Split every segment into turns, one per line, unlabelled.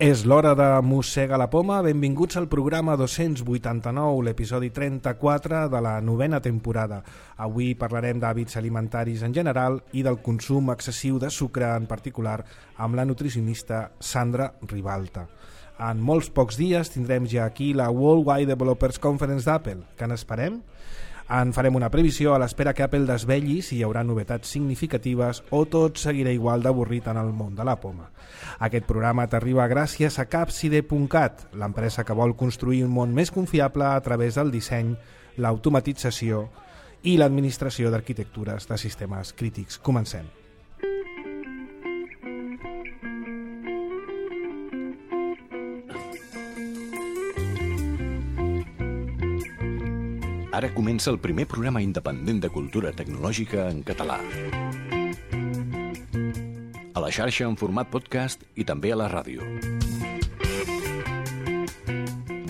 És l'hora de Mossega la Poma. Benvinguts al programa 289, l'episodi 34 de la 9ª temporada. Avui parlarem d'hàbits alimentaris en general i del consum excessiu de sucre en particular amb la nutricionista Sandra Ribalta. En molts pocs dies tindrem ja aquí la Worldwide Developers Conference d'Apple. Què n'esperem? En farem una previsió a l'espera que Apple desvelli si hi haurà novetats significatives o tot seguirà igual d'avorrit en el món de la poma. Aquest programa t'arriba gràcies a Capside.cat, l'empresa que vol construir un món més confiable a través del disseny, l'automatització i l'administració d'arquitectures de sistemes crítics. Comencem.
Ara comença el primer programa independent de cultura tecnològica en català. A la xarxa en format podcast i també a la ràdio.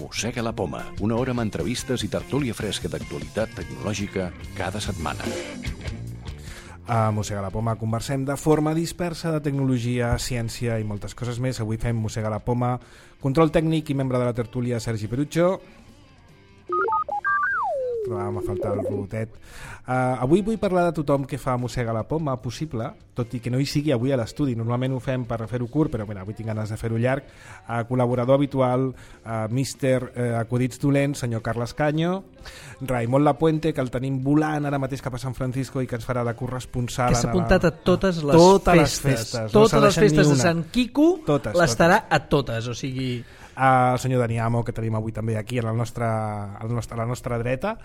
Mossega la Poma, una hora amb entrevistes i tertúlia fresca d'actualitat tecnològica cada setmana.
A Mossega la Poma conversem de forma dispersa de tecnologia, ciència i moltes coses més. Avui fem Mossega la Poma, control tècnic i membre de la tertúlia Sergi Perucho. Trobàvem a faltar el robotet. Avui vull parlar de tothom que fa Mossega la Poma possible, tot i que no hi sigui avui a l'estudi. Normalment ho fem per fer-ho curt, però mira, avui tinc ganes de fer-ho llarg. Col·laborador habitual, míster Acudits Dolents, senyor Carles Canyo, Raimon Lapuente, que el tenim volant ara mateix cap a San Francisco i que ens farà de corresponsal.
Que s'ha apuntat a totes les festes. Totes les festes de Sant Quico l'estarà a totes, o sigui...
El senyor Dani Amo, que tenim avui també aquí a la nostra dreta,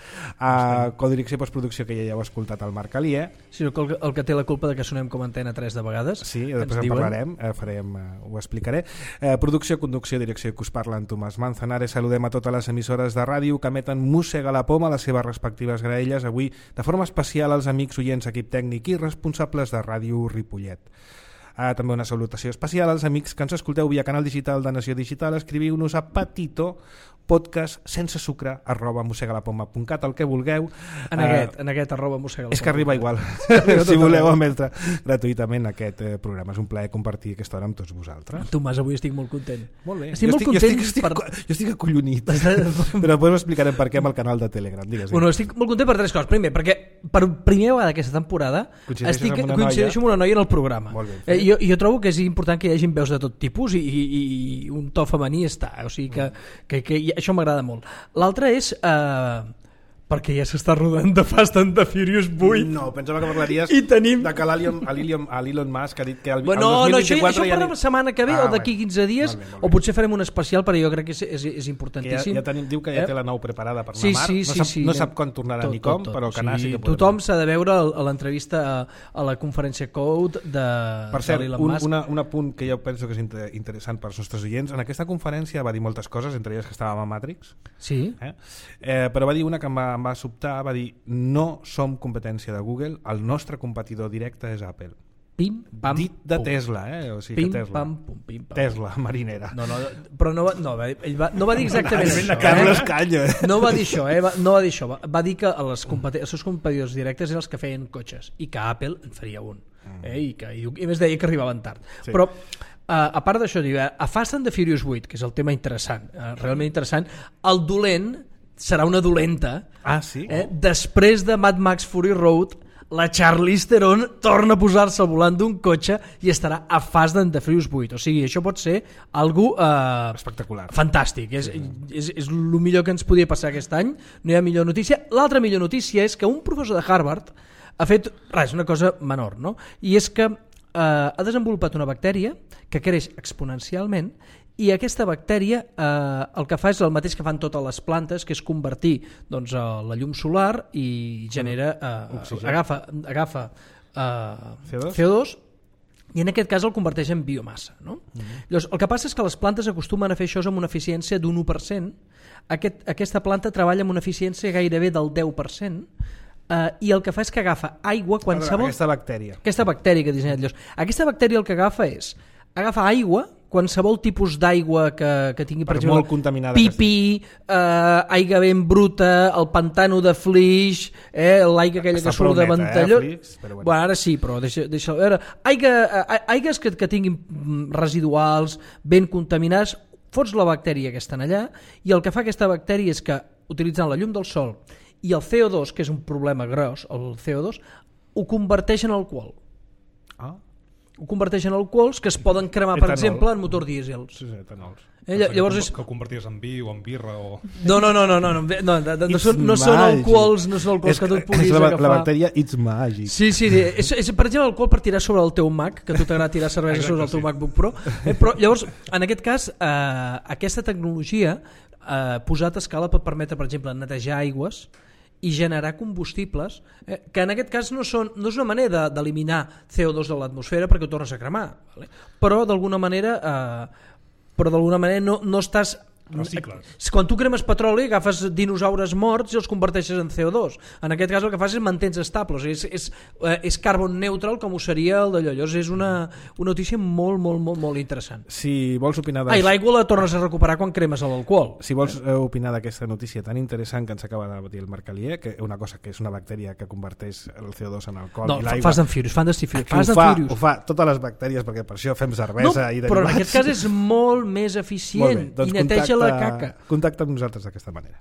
codirecció i postproducció, que ja heu escoltat el Marc Alier.
Sí, el que té la culpa de que sonem com Antena 3 de vegades.
Sí, després en parlarem, ho explicaré. Producció, conducció, direcció i que us parla en Tomàs Manzanares. Saludem a totes les emissores de ràdio que emeten Mossega la Poma a les seves respectives graelles. Avui, de forma especial, als amics oients, equip tècnic i responsables de Ràdio Ripollet. També una salutació especial als amics que ens escolteu via canal digital de Nació Digital. Escriviu-nos a petitopodcast@mossegalapoma.cat, el que vulgueu.
En aquest @mossegalapoma.
És que arriba igual. Si voleu emetre gratuïtament aquest programa. És un plaer compartir aquesta hora amb tots vosaltres.
Tomàs, avui estic molt content.
Molt bé.
Estic molt content.
Jo estic acollonit. Però després ho explicarem per què amb el canal de Telegram. Digues.
Bueno, estic molt content per tres coses. Primer, perquè per primera vegada aquesta temporada coincideixo amb una noia en el programa.
Molt bé.
Jo trobo que és important que hi hagi veus de tot tipus i un to femení està, o sigui que això m'agrada molt. L'altre és perquè ja s'està rodant de Fast and the Furious 8.
No, pensava que parlaries
de
que l'Elon Musk ha dit que el
2024
això
per la setmana que ve o d'aquí 15 dies, o potser farem un especial, però jo crec que és importantíssim.
Diu que ja té la 9 preparada per anar a Mar.
Sí.
No sap quan tornarà ni com, però que anar sí que podem.
Tothom s'ha de veure a l'entrevista a la conferència Code de l'Elon Musk.
Per cert, un apunt que jo penso que és interessant per als nostres oients. En aquesta conferència va dir moltes coses, entre elles que estàvem a Matrix.
Sí.
Però va dir una que em va sobtar, va dir: no som competència de Google, el nostre competidor directe és Apple.
Pim, pam,
dit de
pum.
Tesla, o sigui,
pim,
Tesla.
Pam, pum, pim, pam.
Tesla, marinera.
Però ell va dir exactament això.
Carles Canyo.
No va dir això, no va dir això. Va dir que els seus competidors directes eren els que feien cotxes i que Apple en faria un. I a més deia que arribaven tard. Sí. Però a part d'això, a Fast and the Furious 8, que és el tema interessant, realment interessant, el dolent serà una dolenta.
Sí?
Després de Mad Max Fury Road, la Charlize Theron torna a posar-se al volant d'un cotxe i estarà a Fast and the Furious 8. O sigui, això pot ser algo
espectacular,
fantàstic. És el millor que ens podia passar aquest any. No hi ha millor notícia. L'altra millor notícia és que un professor de Harvard ha fet una cosa menor, no? I és que ha desenvolupat una bactèria que creix exponencialment, i aquesta bactèria el que fa és el mateix que fan totes les plantes, que és convertir la llum solar i genera agafa CO2 i en aquest cas el converteix en biomassa, no? Llavors, el que passa és que les plantes acostumen a fer això amb una eficiència d'un 1%. Aquesta planta treballa amb una eficiència gairebé del 10%, i el que fa és que agafa aigua qualsevol...
Aquesta bactèria
que ha dissenyat. Aquesta bactèria el que agafa és agafa aigua qualsevol tipus d'aigua que tingui, per exemple,
molt contaminada
pipí, aigua ben bruta, el pantano de Flix, l'aigua aquella que surt de Ventalló... Bueno, ara sí, però deixa veure. Aigues que tinguin residuals, ben contaminats, fots la bactèria que estan allà, i el que fa aquesta bactèria és que, utilitzant la llum del sol i el CO2, que és un problema gros, el CO2, ho converteix en alcohol. Ho converteix en alcohols que es poden cremar, per exemple, en motor dièsel.
Sí, etanols.
Llavors és... que ho converties en vi o en birra o...
No són alcohols, que tu et puguis agafar.
La bactèria It's Magic.
Sí, és per exemple alcohol per tirar sobre el teu Mac, que a tu t'agrada tirar cervesa sobre el teu MacBook Pro. Però llavors, en aquest cas, aquesta tecnologia posat a escala pot permetre, per exemple, netejar aigües i generar combustibles que en aquest cas no és una manera d'eliminar CO2 de l'atmosfera perquè ho tornes a cremar, vale? Però d'alguna manera no estàs...
Recicles.
Quan tu cremes petroli agafes dinosaures morts i els converteixes en CO2. En aquest cas el que fas és mantens estables, és carbon neutral, com ho seria el d'allò. Llavors és una notícia molt interessant.
Si vols opinar
I l'aigua la tornes a recuperar quan cremes l'alcohol.
Si vols opinar d'aquesta notícia tan interessant que ens acaba de dir el Marc Alier, que una cosa que és una bactèria que converteix el CO2 en alcohol i l'aigua...
Fast and Furious.
Ho fa totes les bactèries, perquè per això fem cervesa i derivats.
Però en aquest cas és molt més eficient i neteja la caca.
Contacta amb nosaltres d'aquesta manera.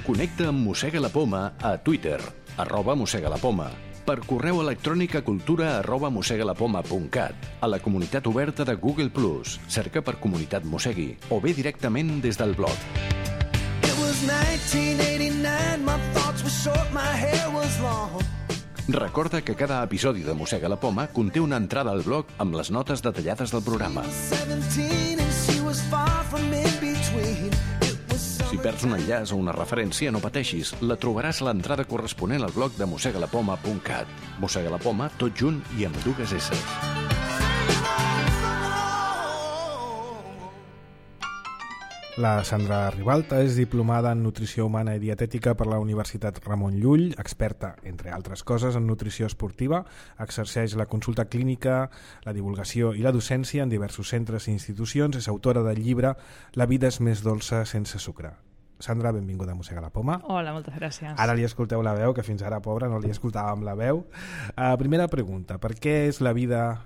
Connecta amb Mossega la Poma a Twitter, @mossegalapoma, per correu electrònic a cultura@mossegalapoma.cat, a la comunitat oberta de Google+, cerca per Comunitat Mossegui, o bé directament des del blog.
It was 1989, my thoughts were short, my hair was long.
Recorda que cada episodi de Mossega la Poma conté una entrada al blog amb les notes detallades del programa. Si perds un enllaç o una referència, no pateixis, la trobaràs a l'entrada corresponent al blog de mossegalapoma.cat. Mossega la Poma, tot junt i amb dues S.
La Sandra Ribalta és diplomada en Nutrició Humana i Dietètica per la Universitat Ramon Llull, experta, entre altres coses, en nutrició esportiva, exerceix la consulta clínica, la divulgació i la docència en diversos centres i institucions, és autora del llibre La vida és més dolça sense sucre. Sandra, benvinguda a Mossega la Poma.
Hola, moltes gràcies.
Ara li escolteu la veu, que fins ara, pobra, no li escoltàvem la veu. Primera pregunta, per què la vida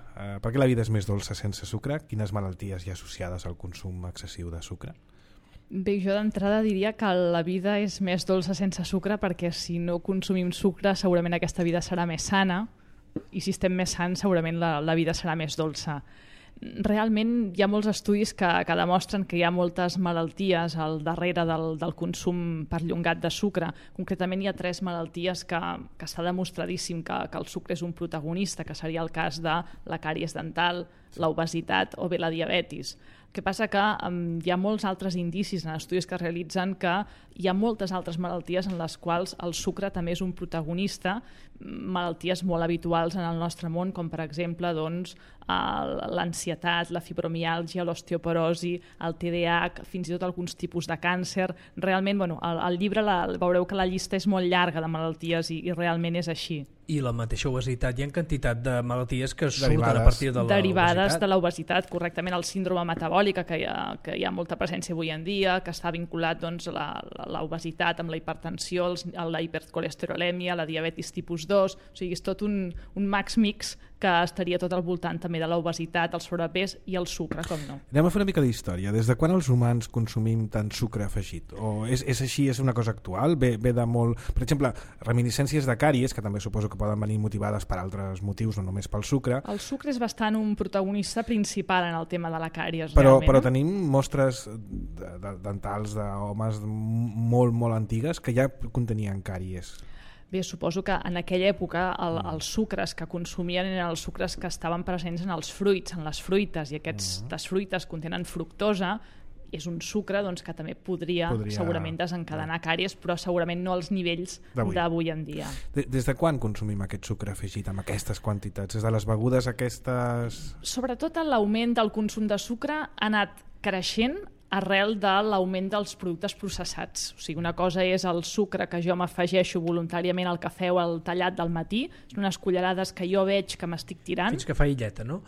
és més dolça sense sucre? Quines malalties hi ha associades al consum excessiu de sucre?
Bé, jo d'entrada diria que la vida és més dolça sense sucre perquè si no consumim sucre segurament aquesta vida serà més sana i si estem més sants segurament la vida serà més dolça. Realment hi ha molts estudis que demostren que hi ha moltes malalties al darrere del consum perllongat de sucre. Concretament hi ha 3 malalties que està demostradíssim que el sucre és un protagonista, que seria el cas de la càries dental, l'obesitat o bé la diabetis. El que passa que hi ha molts altres indicis en estudis que es realitzen que hi ha moltes altres malalties en les quals el sucre també és un protagonista, malalties molt habituals en el nostre món, com per exemple l'ansietat, la fibromiàlgia, l'osteoporosi, el TDAH, fins i tot alguns tipus de càncer. Realment, al llibre veureu que la llista és molt llarga de malalties i realment és així.
I la mateixa obesitat, hi ha quantitat de malalties que surten a partir de l'obesitat.
Derivades de l'obesitat, correctament, el síndrome metabòlica, que hi ha molta presència avui en dia, que està vinculat l'obesitat amb la hipertensió, la hipercolesterolèmia, la diabetis tipus 2, o sigui, és tot un max mix que estaria tot al voltant també de l'obesitat, el sobrepès i el sucre, com no.
Anem a fer una mica d'història. Des de quan els humans consumim tant sucre afegit? O és així, és una cosa actual? Ve de molt... Per exemple, reminiscències de càries, que també suposo que poden venir motivades per altres motius, no només pel sucre.
El sucre és bastant un protagonista principal en el tema de la càries,
realment. Però tenim mostres dentals d'homes molt antigues que ja contenien càries.
Bé, suposo que en aquella època els sucres que consumien eren els sucres que estaven presents en els fruits, en les fruites, i aquestes fruites contenen fructosa, és un sucre que també podria segurament desencadenar càries, però segurament no als nivells d'avui en dia.
Des de quan consumim aquest sucre afegit amb aquestes quantitats? Des de les begudes aquestes...
Sobretot l'augment del consum de sucre ha anat creixent arrel de l'augment dels productes processats. O sigui, una cosa és el sucre que jo m'afegeixo voluntàriament al cafè o al tallat del matí, són unes cullerades que jo veig que m'estic tirant.
Fins que fa illeta, no?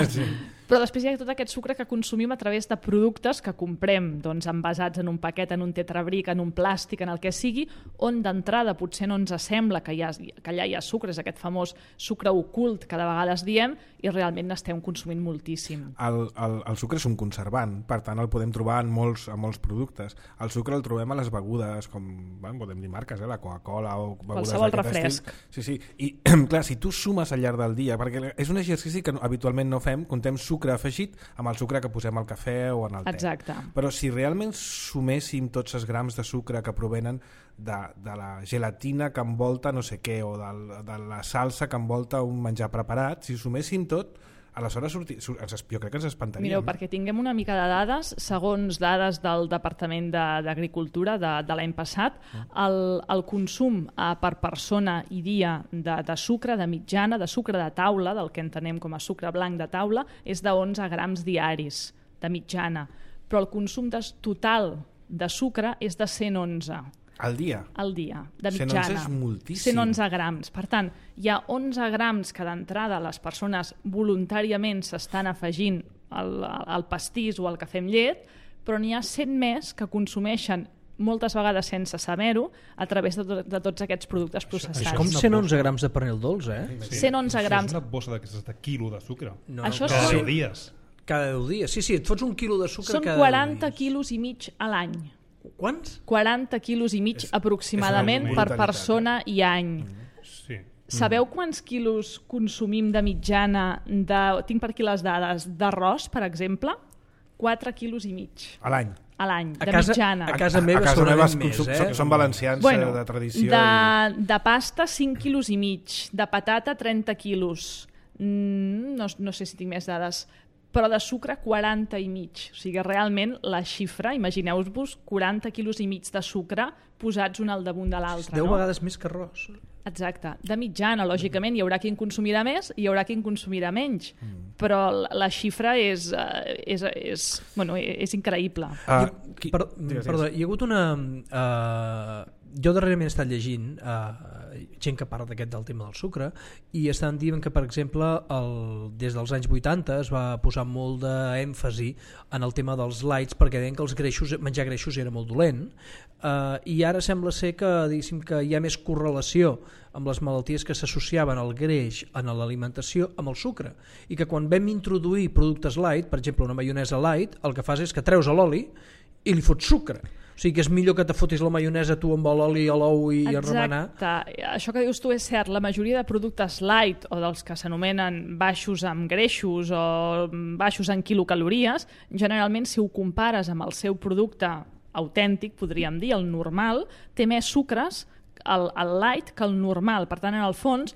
Sí.
Però després hi ha tot aquest sucre que consumim a través de productes que comprem doncs, envasats en un paquet, en un tetrabric, en un plàstic, en el que sigui, on d'entrada potser no ens sembla que allà hi ha sucre, és aquest famós sucre ocult que de vegades diem, i realment n'estem consumint moltíssim.
El sucre és un conservant, per tant el podem trobar en molts productes. El sucre el trobem a les begudes, com podem dir marques, la Coca-Cola o begudes
qualsevol
d'aquest
refresc.
estil. Sí. I clar, si tu sumes al llarg del dia, perquè és un exercici que habitualment no fem, contem sucre afegit amb el sucre que posem al cafè o en el te.
Exacte.
Però si realment suméssim tots els grams de sucre que provenen de la gelatina que envolta no sé què, o de la salsa que envolta un menjar preparat, si suméssim tot, aleshores jo crec que ens espantaríem.
Mireu, perquè tinguem una mica de dades, segons dades del Departament d'Agricultura de l'any passat, el consum per persona i dia de sucre, de mitjana, de sucre de taula, del que entenem com a sucre blanc de taula, és de 11 grams diaris, de mitjana. Però el consum total de sucre és de 111.
Al dia?
Al dia, de mitjana.
111 és moltíssim.
111 grams. Per tant, hi ha 11 grams que d'entrada les persones voluntàriament s'estan afegint al pastís o al cafè amb llet, però n'hi ha 100 més que consumeixen moltes vegades sense saber-ho a través de tots aquests productes processats.
És com 111 grams de pernil dolç,
Sí. 111 grams.
És una bossa d'aquestes de quilo de sucre.
No,
Això
Cada
són
10 dies.
Cada 10 dies. Sí, et fots un quilo de sucre
Són
cada
40
10 dies.
quilos i mig a l'any.
Quants?
40 quilos i mig aproximadament
és una
per
brutalitat,
persona i any.
Sí.
Sabeu quants quilos consumim de mitjana, tinc per aquí les dades, d'arròs, per exemple? 4 quilos i mig
A l'any?
a l'any,
A
de
casa-
mitjana.
a casa meva segurament més,
Són valencians de tradició.
De pasta 5 quilos i mig, de patata 30 quilos, no sé si tinc més dades, però de sucre 40 i mig. O sigui, realment la xifra, imagineu-vos 40 quilos i mig de sucre posats un al damunt de l'altre.
10
no?
vegades més que arròs.
Exacte, de mitjana, lògicament hi haurà qui en consumirà més i hi haurà qui en consumirà menys, però la xifra és increïble.
Perdó, hi ha hagut una... jo darrerament he estat llegint gent que parla del tema del sucre i estan dient que, per exemple, des dels anys 80 es va posar molt d'èmfasi en el tema dels lights perquè deien que menjar greixos era molt dolent, i ara sembla ser que hi ha més correlació amb les malalties que s'associaven al greix en l'alimentació amb el sucre, i que quan vam introduir productes light, per exemple una maionesa light, el que fas és que treus l'oli i li fots sucre. O sigui que és millor que te fotis la maionesa tu amb l'oli, l'ou i a remenar.
Exacte, això que dius tu és cert. La majoria de productes light o dels que s'anomenen baixos en greixos o baixos en quilocalories, generalment si ho compares amb el seu producte autèntic, podríem dir, el normal, té més sucres el light que el normal. Per tant, en el fons,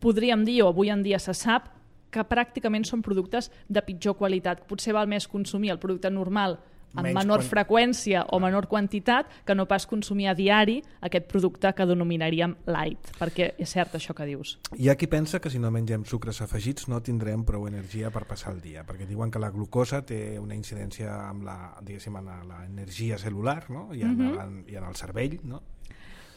podríem dir, o avui en dia se sap, que pràcticament són productes de pitjor qualitat. Potser val més consumir el producte normal amb menor freqüència o menor quantitat que no pas consumir a diari aquest producte que denominaríem light, perquè és cert això que dius.
Hi ha qui pensa que si no mengem sucres afegits no tindrem prou energia per passar el dia, perquè diuen que la glucosa té una incidència amb l'energia cel·lular, no? I en el cervell, no?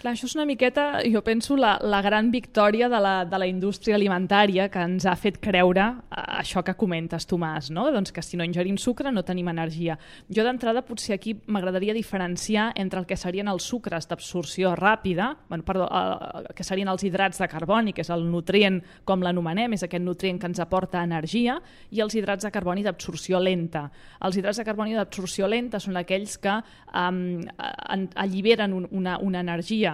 Clar, això és una miqueta, jo penso, la gran victòria de la indústria alimentària que ens ha fet creure això que comentes, Tomàs, no? Doncs que si no ingerim sucre no tenim energia. Jo d'entrada potser aquí m'agradaria diferenciar entre el que serien els sucres d'absorció ràpida, que serien els hidrats de carboni, que és el nutrient, com l'anomenem, és aquest nutrient que ens aporta energia, i els hidrats de carboni d'absorció lenta. Els hidrats de carboni d'absorció lenta són aquells que alliberen una energia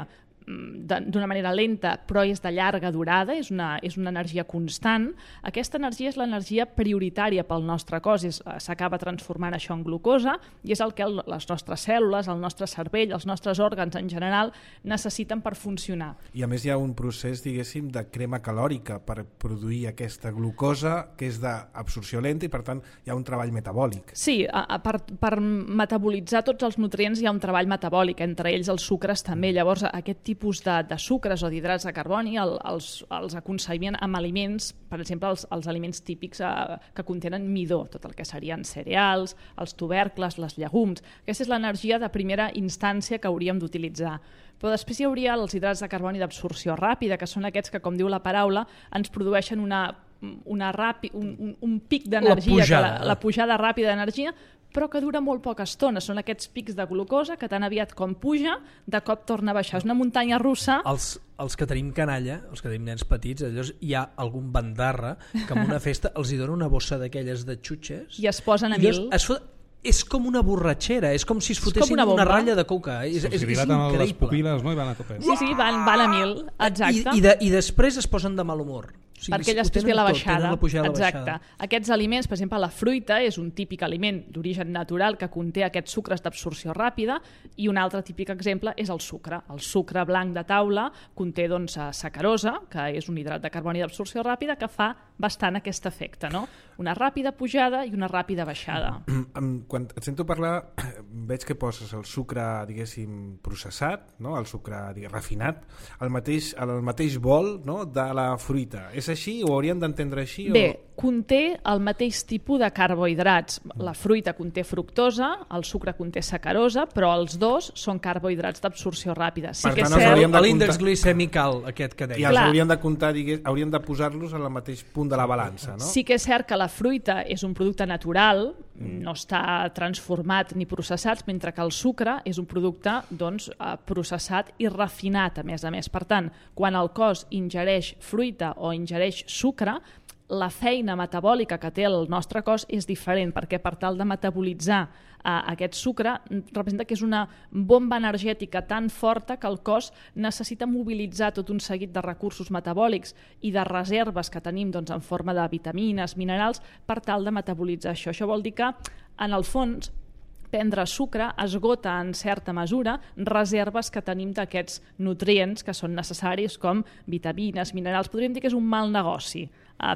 d'una manera lenta, però és de llarga durada, és una energia constant. Aquesta energia és l'energia prioritària pel nostre cos, s'acaba transformant això en glucosa, i és el que les nostres cèl·lules, el nostre cervell, els nostres òrgans en general necessiten per funcionar.
I a més hi ha un procés, diguéssim, de crema calòrica per produir aquesta glucosa, que és d'absorció lenta, i per tant hi ha un treball metabòlic.
Sí, per metabolitzar tots els nutrients hi ha un treball metabòlic, entre ells els sucres també. Llavors aquest tipus tipus de sucres o d'hidrats de carboni els aconseguien amb aliments, per exemple, els aliments típics que contenen midó, tot el que serien cereals, els tubercles, les llegums. Aquesta és l'energia de primera instància que hauríem d'utilitzar. Però després hi hauria els hidrats de carboni d'absorció ràpida, que són aquests que, com diu la paraula, ens produeixen un pic d'energia, la pujada ràpida d'energia, però que dura molt poca estona. Són aquests pics de glucosa que tan aviat com puja, de cop torna a baixar. És una muntanya russa.
Els que tenim canalla, els que tenim nens petits, llavors hi ha algun bandarra que en una festa els hi dona una bossa d'aquelles de xutxes
i es posen a mil.
És com una borratxera, és com si es fotessin una ratlla de coca. És increïble.
Les pupil·les, no? I van a tope.
Sí, van a mil, exacte.
I després es posen de mal humor. O sigui,
perquè després ve la baixada.
Exacte.
Aquests aliments, per exemple, la fruita és un típic aliment d'origen natural que conté aquests sucres d'absorció ràpida, i un altre típic exemple és el sucre. El sucre blanc de taula conté sacarosa, que és un hidrat de carboni d'absorció ràpida que fa bastant aquest efecte, no? Una ràpida pujada i una ràpida baixada.
Quan et sento parlar, veig que poses el sucre, diguéssim, processat, no? El sucre refinat, al mateix bol, no? De la fruita. És així o hauríem d'entendre així?
Bé, conté el mateix tipus de carbohidrats. La fruita conté fructosa, el sucre conté sacarosa, però els dos són carbohidrats d'absorció ràpida.
Sí, per tant,
l'índex glicèmic alt, aquest que deia.
I els hauríem de comptar, hauríem de posar-los al mateix punt de la balança, no?
Sí que és cert que la fruita és un producte natural, no està transformat ni processat, mentre que el sucre és un producte processat i refinat, a més. Per tant, quan el cos ingereix fruita o ingereix sucre, la feina metabòlica que té el nostre cos és diferent, perquè per tal de metabolitzar aquest sucre representa que és una bomba energètica tan forta que el cos necessita mobilitzar tot un seguit de recursos metabòlics i de reserves que tenim en forma de vitamines, minerals, per tal de metabolitzar això. Això vol dir que, en el fons, prendre sucre esgota en certa mesura reserves que tenim d'aquests nutrients que són necessaris, com vitamines, minerals. Podríem dir que és un mal negoci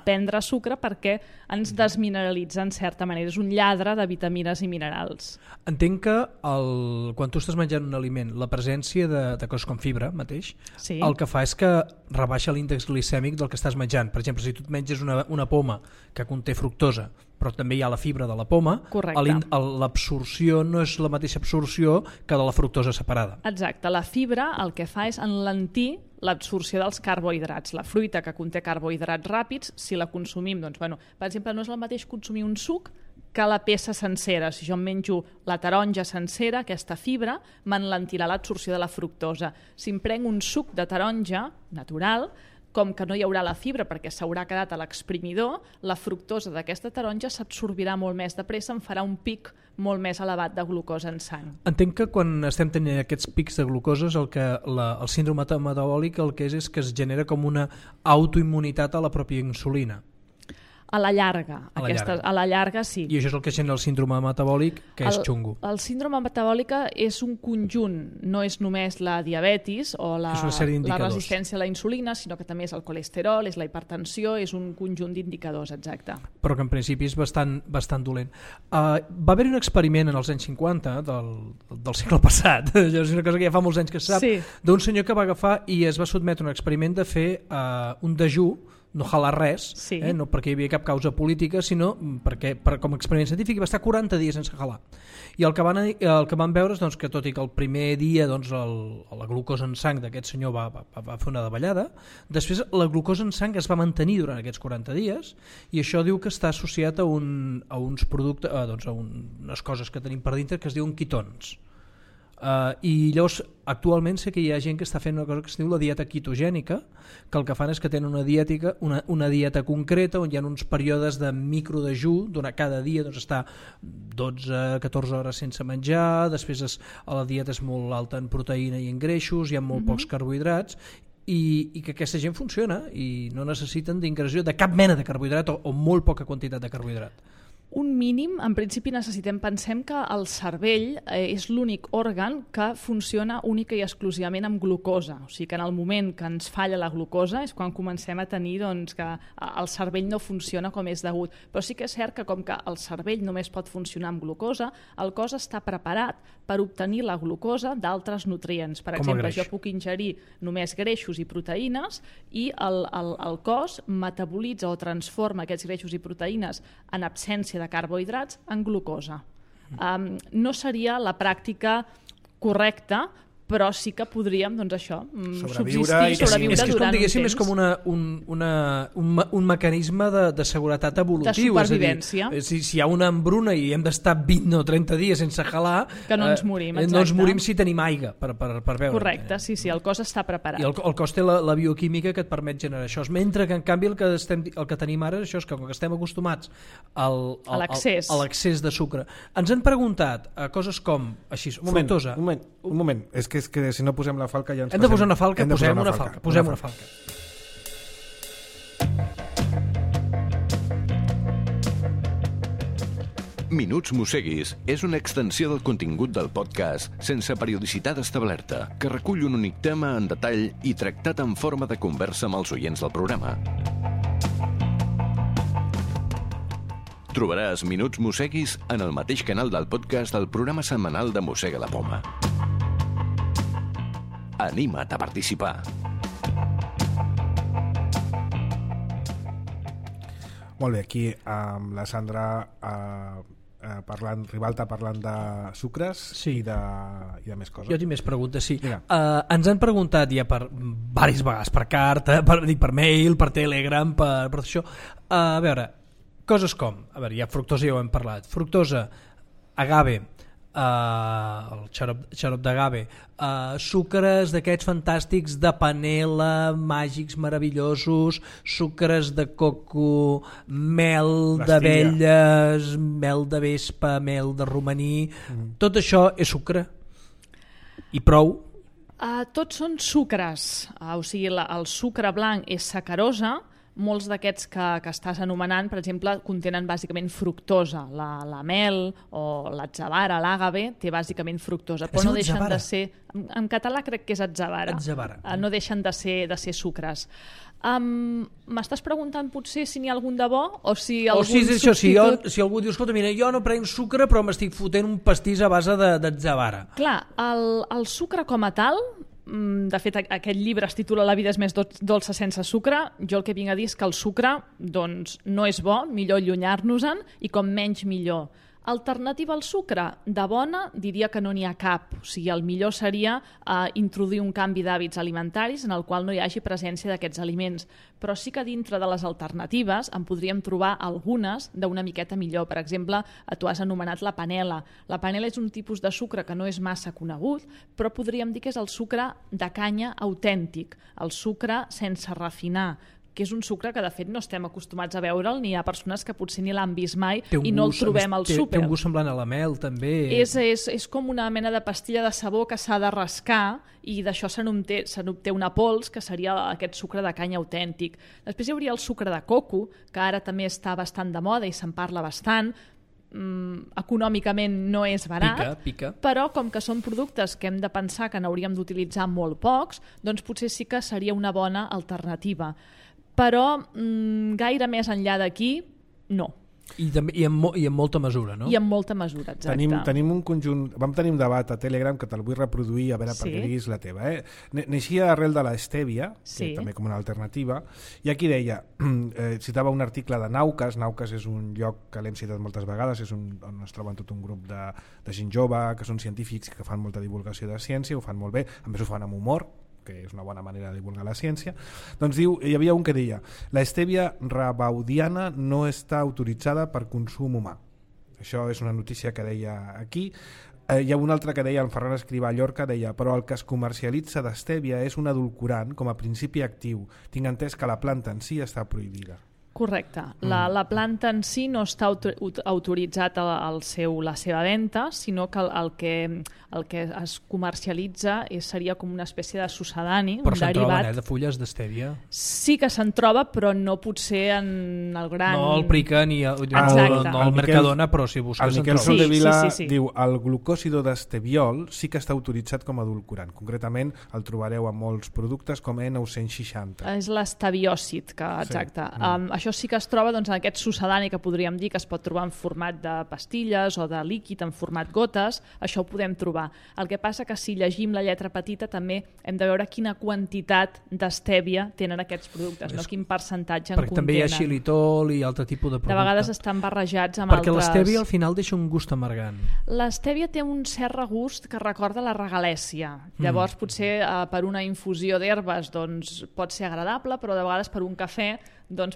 prendre sucre perquè ens desmineralitza en certa manera. És un lladre de vitamines i minerals.
Entenc que quan tu estàs menjant un aliment, la presència de coses com fibra mateix,
sí,
el que fa és que rebaixa l'índex glicèmic del que estàs menjant. Per exemple, si tu et menges una poma que conté fructosa, però també hi ha la fibra de la poma, l'absorció no és la mateixa absorció que de la fructosa separada.
Exacte, la fibra el que fa és enlentir l'absorció dels carbohidrats. La fruita que conté carbohidrats ràpids, si la consumim, per exemple, no és el mateix consumir un suc que la peça sencera. Si jo em menjo la taronja sencera, aquesta fibra m'enlentirà l'absorció de la fructosa. Si em prenc un suc de taronja natural, com que no hi haurà la fibra perquè s'haurà quedat a l'exprimidor, la fructosa d'aquesta taronja s'absorbirà molt més de pressa, em farà un pic molt més elevat de glucosa en sang.
Entenc que quan estem tenint aquests pics de glucosa, el síndrome metabòlic el que és que es genera com una autoimmunitat a la pròpia insulina.
A la llarga, sí.
I això és el que genera el síndrome metabòlic, que és xungo.
El síndrome metabòlic és un conjunt, no és només la diabetis o la resistència a la insulina, sinó que també és el colesterol, és la hipertensió, és un conjunt d'indicadors, exacte.
Però que en principi és bastant dolent. Va haver-hi un experiment en els anys 50 del segle passat, és una cosa que ja fa molts anys que se sap, sí, d'un senyor que va agafar i es va sotmetre a un experiment de fer un dejú, no halar res, sí, no perquè hi havia cap causa política, sinó perquè com a experiment científic va estar 40 dies sense halar. I el que van veure és que tot i que el primer dia la glucosa en sang d'aquest senyor va fer una davallada, després la glucosa en sang es va mantenir durant aquests 40 dies, i això diu que està associat a uns productes, a unes coses que tenim per dintre que es diuen quitons. I llavors actualment sé que hi ha gent que està fent una cosa que es diu la dieta quitogènica, que el que fan és que tenen una dieta concreta on hi ha uns períodes de microdejú, cada dia està 12-14 hores sense menjar, després la dieta és molt alta en proteïna i en greixos, hi ha molt pocs carbohidrats, i que aquesta gent funciona i no necessiten d'ingressió de cap mena de carbohidrat o molt poca quantitat de carbohidrat.
Un mínim, en principi pensem que el cervell és l'únic òrgan que funciona única i exclusivament amb glucosa. O sigui que en el moment que ens falla la glucosa és quan comencem a tenir que el cervell no funciona com és degut. Però sí que és cert que com que el cervell només pot funcionar amb glucosa, el cos està preparat per obtenir la glucosa d'altres nutrients. Per exemple, jo puc ingerir només greixos i proteïnes i el cos metabolitza o transforma aquests greixos i proteïnes en absència de carbohidrats en glucosa. No seria la pràctica correcta, però sí que podríem, sobreviure
és que
durant un
diguéssim,
temps.
És com un mecanisme de seguretat evolutiu.
De supervivència.
És a dir, si hi ha una hambruna i hem d'estar 20 o 30 dies sense gelar,
que no ens morim, exacte.
No ens morim si tenim aigua per beure.
Correcte, sí, el cos està preparat.
I el cos té la bioquímica que et permet generar això. Mentre que, en canvi, el que tenim ara és això, és que com que estem acostumats a l'excés de sucre. Ens han preguntat coses com, així, fructosa.
Un moment, és que si no posem la falca ja ens
hem de posar una falca, posem una falca.
Minuts Mosseguis és una extensió del contingut del podcast sense periodicitat establerta, que recull un únic tema en detall i tractat en forma de conversa amb els oients del programa. Trobaràs Minuts Mosseguis en el mateix canal del podcast del programa setmanal de Mossega la Poma. Anima't a participar.
Molt bé, aquí amb la Sandra Ribalta parlant de sucres i de més coses.
Jo tinc més preguntes, sí. Ens han preguntat ja per diverses vegades, per carta, per mail, per Telegram, per això. A veure, coses com, ja fructosa ja ho hem parlat, fructosa, agave, el xarop d'agave, sucres d'aquests fantàstics de panela, màgics, meravellosos, sucres de coco, mel d'abelles, mel de vespa, mel de romaní, tot això és sucre i prou?
Tots són sucres, o sigui, el sucre blanc és sacarosa. Molts d'aquests que estàs anomenant, per exemple, contenen bàsicament fructosa. La mel o l'atzavara, l'àgave, té bàsicament fructosa. Però no deixen de ser... En català crec que és atzavara. No deixen de ser sucres. M'estàs preguntant potser si n'hi ha algun de bo o si algun substitut...
Si algú diu, escolta, mira, jo no prenc sucre però m'estic fotent un pastís a base d'atzavara.
Clar, el sucre com a tal... De fet, aquest llibre es titula La vida és més dolça sense sucre. Jo el que vinc a dir és que el sucre no és bo, millor allunyar-nos-en, i com menys millor. Alternativa al sucre? De bona diria que no n'hi ha cap. O sigui, el millor seria introduir un canvi d'hàbits alimentaris en el qual no hi hagi presència d'aquests aliments. Però sí que dintre de les alternatives en podríem trobar algunes d'una miqueta millor. Per exemple, tu has anomenat la panela. La panela és un tipus de sucre que no és massa conegut, però podríem dir que és el sucre de canya autèntic, el sucre sense refinar, que és un sucre que de fet no estem acostumats a veure'l, ni hi ha persones que potser ni l'han vist mai i no el trobem al súper.
Té un gust semblant a la mel, també.
És com una mena de pastilla de sabó que s'ha de rascar i d'això se n'obté una pols, que seria aquest sucre de canya autèntic. Després hi hauria el sucre de coco, que ara també està bastant de moda i se'n parla bastant. Econòmicament no és barat,
pica.
Però com que són productes que hem de pensar que n'hauríem d'utilitzar molt pocs, doncs potser sí que seria una bona alternativa. Però gaire més enllà d'aquí, no.
I en molta mesura, no?
I en molta mesura, exacte.
Tenim un conjunt... Vam tenir un debat a Telegram que te'l vull reproduir a veure perquè diguis la teva. Neixia arrel de l'estèvia, també com una alternativa, i aquí deia, citava un article de Naucas. Naucas és un lloc que l'hem citat moltes vegades, és on es troben tot un grup de gent jove, que són científics, que fan molta divulgació de ciència, ho fan molt bé, a més ho fan amb humor, que és una bona manera de divulgar la ciència. Doncs diu, hi havia un que deia: la estèvia rebaudiana no està autoritzada per consum humà. Això és una notícia que deia aquí. Hi ha un altre que deia, en Ferran Escrivà a Llorca, deia: però el que es comercialitza d'estèvia és un edulcorant com a principi actiu. Tinc entès que la planta en si està prohibida.
Correcte. La planta en si no està autoritzat la seva venda, sinó que el que es comercialitza seria com una espècie de succedani,
Però
un
se'n
derivat.
troben, de fulles d'estèvia.
Sí que se'n troba, però no potser en el gran...
No el Prica ni el
Exacte.
Mercadona, però si busques
El
en
Miquel
trobes.
Soldevila
Sí.
diu el glucòsido d'esteviol sí que està autoritzat com a edulcorant. Concretament el trobareu en molts productes com E960.
És l'estabiòcid, exacte. Això sí que es troba en aquest succedani que podríem dir que es pot trobar en format de pastilles o de líquid en format gotes, això ho podem trobar. El que passa que si llegim la lletra petita també hem de veure quina quantitat d'estèvia tenen aquests productes, no quin percentatge en
Perquè
contenen.
també hi ha xilitol i altre tipus de producte.
De vegades estan barrejats amb
Perquè
altres...
l'estèvia al final deixa un gust amargant.
L'estèvia té un cert regust que recorda la regalèssia. Llavors, potser per una infusió d'herbes pot ser agradable, però de vegades per un cafè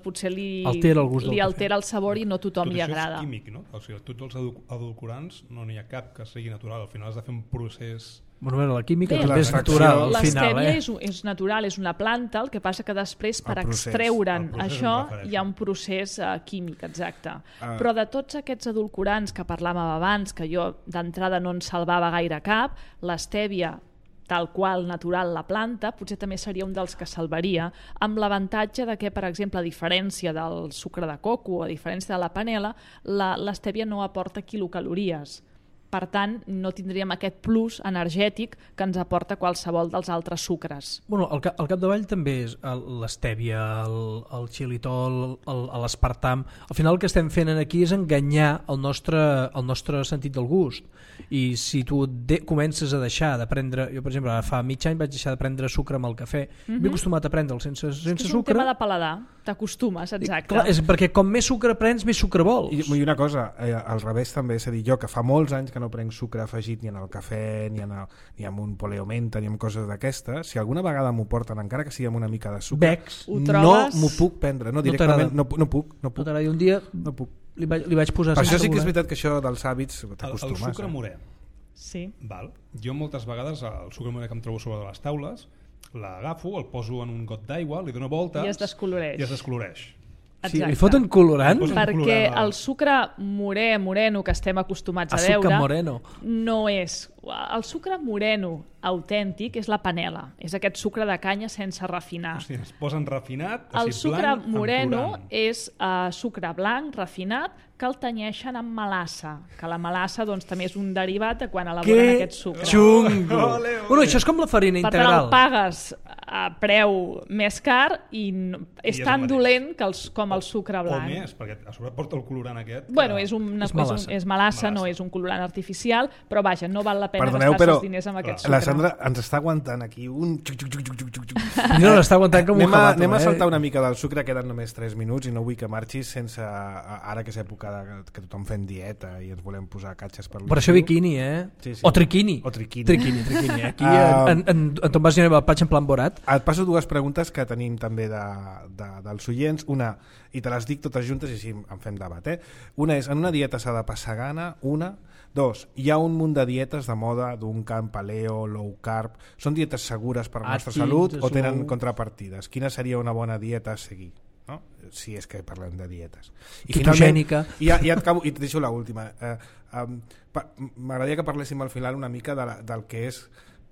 potser li
Altera el gust del
altera el sabor i no a tothom li agrada.
Tot això és químic, no? O sigui, tots els edulcorants no n'hi ha cap que sigui natural. Al final has de fer un procés...
Bueno, la química
Bé,
també és
l'extracció-
natural al final.
L'estèvia és natural, és una planta, el que passa que després per
El procés.
extreure'n
El procés
això
em refereixo.
hi ha un procés químic, exacte. Però de tots aquests edulcorants que parlàvem abans, que jo d'entrada no en salvava gaire cap, l'estèvia tal qual natural la planta, potser també seria un dels que salvaria, amb l'avantatge de que, per exemple, a diferència del sucre de coco o a diferència de la panela, l'estèvia no aporta quilocalories. Per tant, no tindríem aquest plus energètic que ens aporta qualsevol dels altres sucres.
Bueno, al capdavall també és l'estèvia, el xilitol, l'aspartam. Al final el que estem fent aquí és enganyar el nostre sentit del gust. I si tu comences a deixar de prendre... Jo, per exemple, fa mig any vaig deixar de prendre sucre amb el cafè. M'he acostumat a prendre'l sense
És un
sucre.
tema de paladar, t'acostumes, exacte.
Clar, és perquè com més sucre prens, més sucre vols.
I una cosa, al revés també, és a dir, jo que fa molts anys que no prenc sucre afegit ni en el cafè, ni en un poleomenta, ni en coses d'aquestes, si alguna vegada m'ho porten, encara que sigui amb una mica de sucre,
Becs.
Ho
no
trobes?
m'ho puc prendre, no directament, no puc.
No t'agrada. I un dia
No puc.
li vaig posar...
Per això sí
sense
que és
voler.
veritat que això dels hàbits
El
t'acostumes.
sucre morè.
Sí.
Val. Jo moltes vegades el sucre morè que em trobo sobre de les taules l'agafo, el poso en un got d'aigua, li dono voltes
I es descoloreix.
i es descoloreix.
Sí, li foten colorant?
Posen
Perquè
colorant
el sucre moreno que estem acostumats a
Azúcar
veure
moreno.
no és... El sucre moreno autèntic és la panela, és aquest sucre de canya sense refinar.
Hosti, es posen refinat,
El
així
sucre
blanc, amb
moreno
colorant.
és sucre blanc, refinat, que el tenyeixen amb melassa, que la melassa també és un derivat de quan elaboren
Que
aquest sucre.
xungo! Bueno, això és com la farina
Per tant,
integral.
el pagues a preu més car i és
és
tan
el mateix.
dolent com el sucre
O
blanc.
més, perquè a sobre porta el colorant aquest.
Bueno,
que-
és
És
melassa, no
Melassa.
és un colorant artificial, però vaja, no val la pena
Perdoneu,
gastar
però
els diners amb aquest sucre.
la Sandra ens està aguantant aquí un...
No, l'està aguantant com un jabato.
Anem a saltar una mica del sucre, queden només 3 minuts i no vull que marxis sense... Ara que és època que tothom fem dieta i ens volem posar catxes per l'estiu.
Per això bikini,
Sí, sí.
O triquini.
O triquini.
Triquini. Aquí en Tomàs i el Patx en plan Borat.
Et passo 2 preguntes que tenim també dels oients. Una, i te les dic totes juntes i així en fem debat. Una és, en una dieta s'ha de passar gana? Una. 2, hi ha un munt de dietes de moda, d'un camp paleo, low carb. Són dietes segures per a la nostra
Atkins,
salut o tenen
slow.
contrapartides? Quina seria una bona dieta a seguir? No? Si és que parlem de dietes. I
Ketogènica.
finalment, ja et acabo, i et deixo l'última. M'agradaria que parléssim al final una mica del que és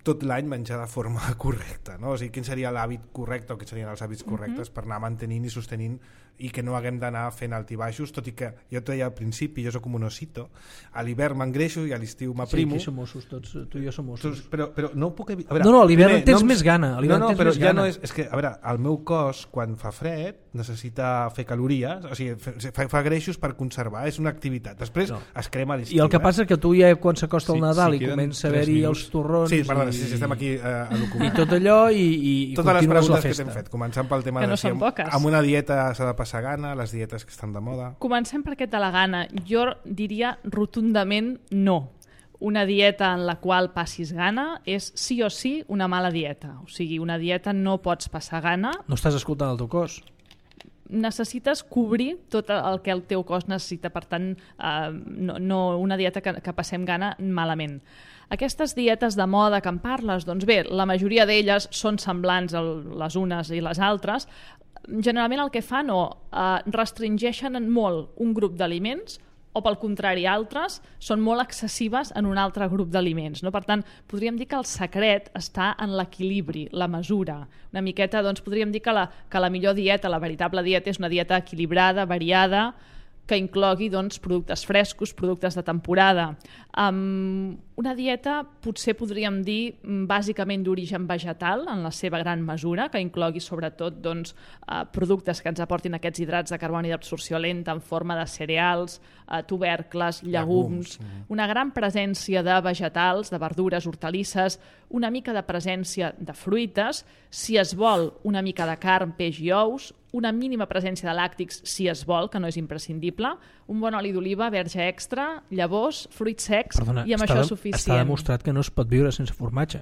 tot l'any menjar de forma correcta, no? O sigui, quin seria l'hàbit correcte o quins serien els hàbits correctes per anar mantenint i sostenint i que no haguem d'anar fent altibaixos, tot i que jo et deia al principi, jo soc com un osito, a l'hivern m'engreixo i a l'estiu
Sí,
m'aprimo.
aquí som ossos tots, tu i jo som ossos.
Però no puc evitar...
No, a l'hivern tens més gana, a l'hivern
no,
tens
però
més
ja
gana.
no és que, a veure, el meu cos quan fa fred necessita fer calories, o sigui, fa greixos per conservar, és una activitat. Després es crema a l'estiu.
I el que passa és que tu ja quan s'acosta el
Sí,
Nadal
sí,
i
queden
comença a
3
haver-hi
minuts.
els torrons
Sí, perdona,
i,
sí, estem aquí a l'ocupar.
i tot allò i
Totes les
continues la
preguntes que
festa.
t'hem fet, començant pel tema
Que no
de si
són poques.
amb una dieta s'ha de passar gana, les dietes que estan de moda.
Comencem per aquest de la gana. Jo diria rotundament no. Una dieta en la qual passis gana és sí o sí una mala dieta. O sigui, una dieta no pots passar gana,
No estàs escoltant el teu cos.
necessites cobrir tot el que el teu cos necessita, per tant, no una dieta que passem gana malament. Aquestes dietes de moda que en parles, doncs bé, la majoria d'elles són semblants les unes i les altres. generalment el que fan restringeixen molt un grup d'aliments o pel contrari altres són molt excessives en un altre grup d'aliments. No? Per tant, podríem dir que el secret està en l'equilibri, la mesura. Una miqueta, doncs, podríem dir que la millor dieta, la veritable dieta, és una dieta equilibrada, variada, que inclogui doncs, productes frescos, productes de temporada. Una dieta potser podríem dir bàsicament d'origen vegetal en la seva gran mesura, que inclogui sobretot doncs, productes que ens aportin aquests hidrats de carboni d'absorció lenta en forma de cereals, tubercles, llegums, una gran presència de vegetals, de verdures, hortalisses, una mica de presència de fruites, si es vol una mica de carn, peix i ous, una mínima presència de làctics si es vol, que no és imprescindible, un bon oli d'oliva, verge extra, llavors, fruits secs, i amb això és suficient.
Està demostrat que no es pot viure sense formatge.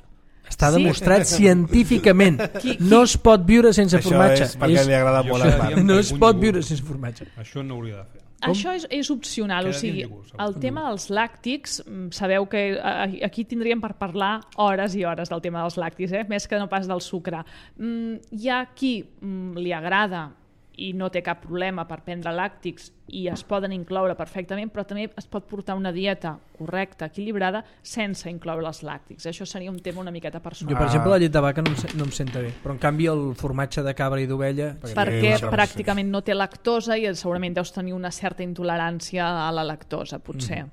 Està demostrat científicament. No es pot viure sense formatge.
Això és perquè li agrada molt el mar.
No es pot viure sense formatge.
Això no hauria de fer.
Això és opcional, o sigui, el tema dels làctics, sabeu que aquí tindríem per parlar hores i hores del tema dels làctics, més que no pas del sucre. Hi ha qui li agrada i no té cap problema per prendre làctics i es poden incloure perfectament, però també es pot portar una dieta correcta, equilibrada, sense incloure els làctics. Això seria un tema una miqueta personal.
Jo, per exemple, la llet de vaca no em senta bé, però en canvi el formatge de cabra i d'ovella...
Perquè pràcticament no té lactosa i segurament deus tenir una certa intolerància a la lactosa, potser.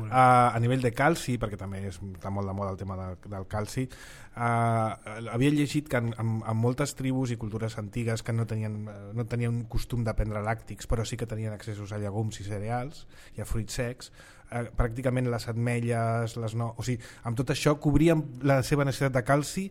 A nivell de calci, perquè també està molt de moda el tema del calci, havia llegit que en moltes tribus i cultures antigues que no tenien costum de prendre làctics, però sí que tenien accessos a llegums i cereals i a fruits secs, pràcticament les ametlles, o sigui, amb tot això cobrien la seva necessitat de calci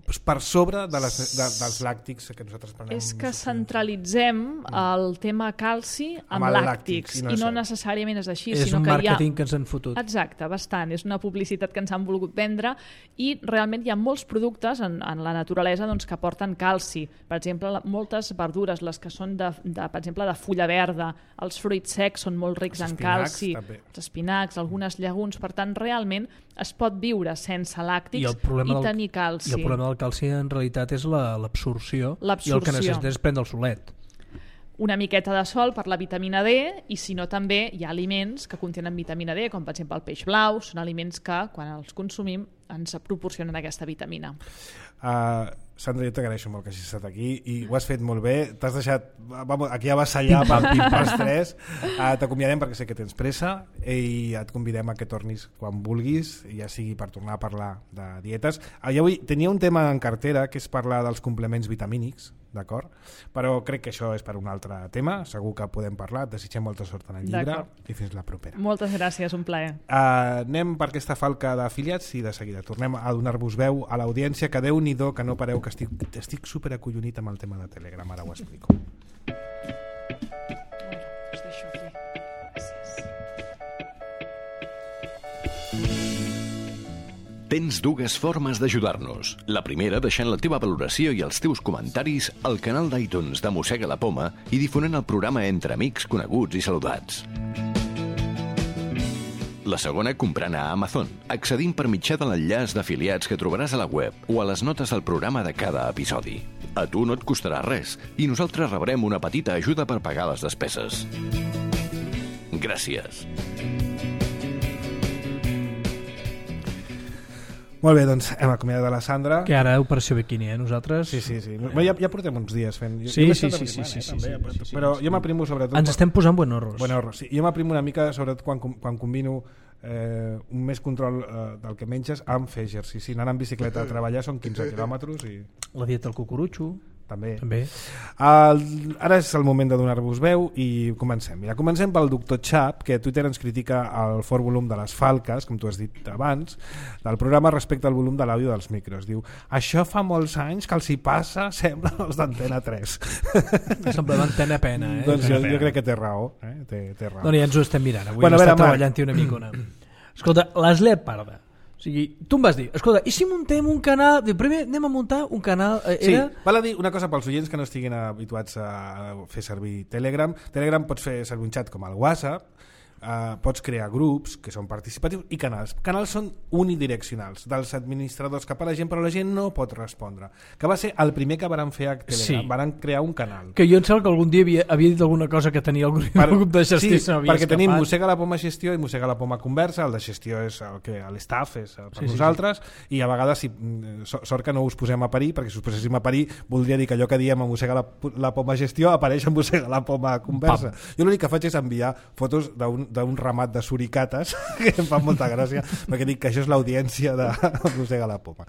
per sobre dels làctics que nosaltres prenem.
És que centralitzem el tema calci amb làctics i no necessàriament és així.
És un màrqueting que ens han fotut.
Exacte, bastant. És una publicitat que ens han volgut vendre i realment hi ha molts productes en la naturalesa doncs, que porten calci. Per exemple, moltes verdures, les que són per exemple de fulla verda, els fruits secs són molt rics en calci, els espinacs, algunes llegums. Per tant, realment es pot viure sense làctics i tenir calci.
I el problema del calci en realitat és l'absorció i el que necessites és prendre el solet.
Una miqueta de sol per la vitamina D i si no també hi ha aliments que contenen vitamina D, com per exemple el peix blau, són aliments que quan els consumim ens proporcionen aquesta vitamina.
Sandra, jo t'agraeixo molt que hagis estat aquí i ho has fet molt bé, t'has deixat aquí a vassallar pels tres. T'acomiadem perquè sé que tens pressa i et convidem a que tornis quan vulguis, ja sigui per tornar a parlar de dietes. Avui tenia un tema en cartera que és parlar dels complements vitamínics, d'acord? Però crec que això és per un altre tema, segur que podem parlar, et desitgem molta sort en el llibre i fins la propera.
Moltes gràcies, un plaer.
Anem per aquesta falca d'afiliats i de seguida tornem a donar-vos veu a l'audiència, que Déu-n'hi-do que no pareu, que estic superacollonit amb el tema de Telegram, ara ho explico.
Us deixo aquí. Gràcies.
Tens dues formes d'ajudar-nos. La primera, deixant la teva valoració i els teus comentaris al canal d'iTunes de Mossega la Poma i difonent el programa entre amics, coneguts i saludats. La segona, comprant a Amazon, accedint per mitjà de l'enllaç d'afiliats que trobaràs a la web o a les notes del programa de cada episodi. A tu no et costarà res i nosaltres rebrem una petita ajuda per pagar les despeses. Gràcies.
Molt bé, doncs hem acomiadat la Sandra.
Que ara operació biquini, nosaltres?
Sí. Ja portem uns dies fent.
Sí.
Però jo m'aprimo sobretot...
Ens estem posant buenorros.
Sí. Jo m'aprimo una mica sobretot quan combino un més control del que menges amb fer exercici. Anant en bicicleta a treballar són 15 quilòmetres i...
La dieta del cucurutxo.
També. Ara és el moment de donar-vos veu i comencem. Mira, comencem pel doctor Chap, que a Twitter ens critica el fort volum de les falques, com tu has dit abans, del programa respecte al volum de l'àudio dels micros. Diu, això fa molts anys que els hi passa, sembla els d'Antena 3.
Sembla d'Antena Pena,
Doncs jo crec que té raó. Té raó.
No, ja ens ho estem mirant. Avui està treballant-hi una micona. Escolta, l'Asle Parda. O sigui, tu em vas dir, escolta, i si muntem un canal... Primer anem a muntar un canal...
Sí, val a dir una cosa pels oients que no estiguin habituats a fer servir Telegram. Telegram pots fer servir un xat com el WhatsApp, pots crear grups que són participatius i canals. Canals són unidireccionals, dels administradors cap a la gent, però la gent no pot respondre. Que va ser el primer que varen fer a Telegram,
Sí.
varen crear un canal.
Que jo em sembla que algun dia havia dit alguna cosa que tenia el grup de gestió.
Sí,
se m'havia
perquè tenim
escapat.
Mossega la Poma Gestió i Mossega la Poma Conversa. El de gestió és el que l'estaf és per nosaltres, i a vegades sort que no us posem a parir, perquè si us poséssim a parir voldria dir que allò que diem a Mossega la Poma Gestió apareix a Mossega la Poma Conversa. Jo l'únic que faig és enviar fotos d'un ramat de suricates que em fan molta gràcia, perquè dic que això és l'audiència de Mossega la Poma.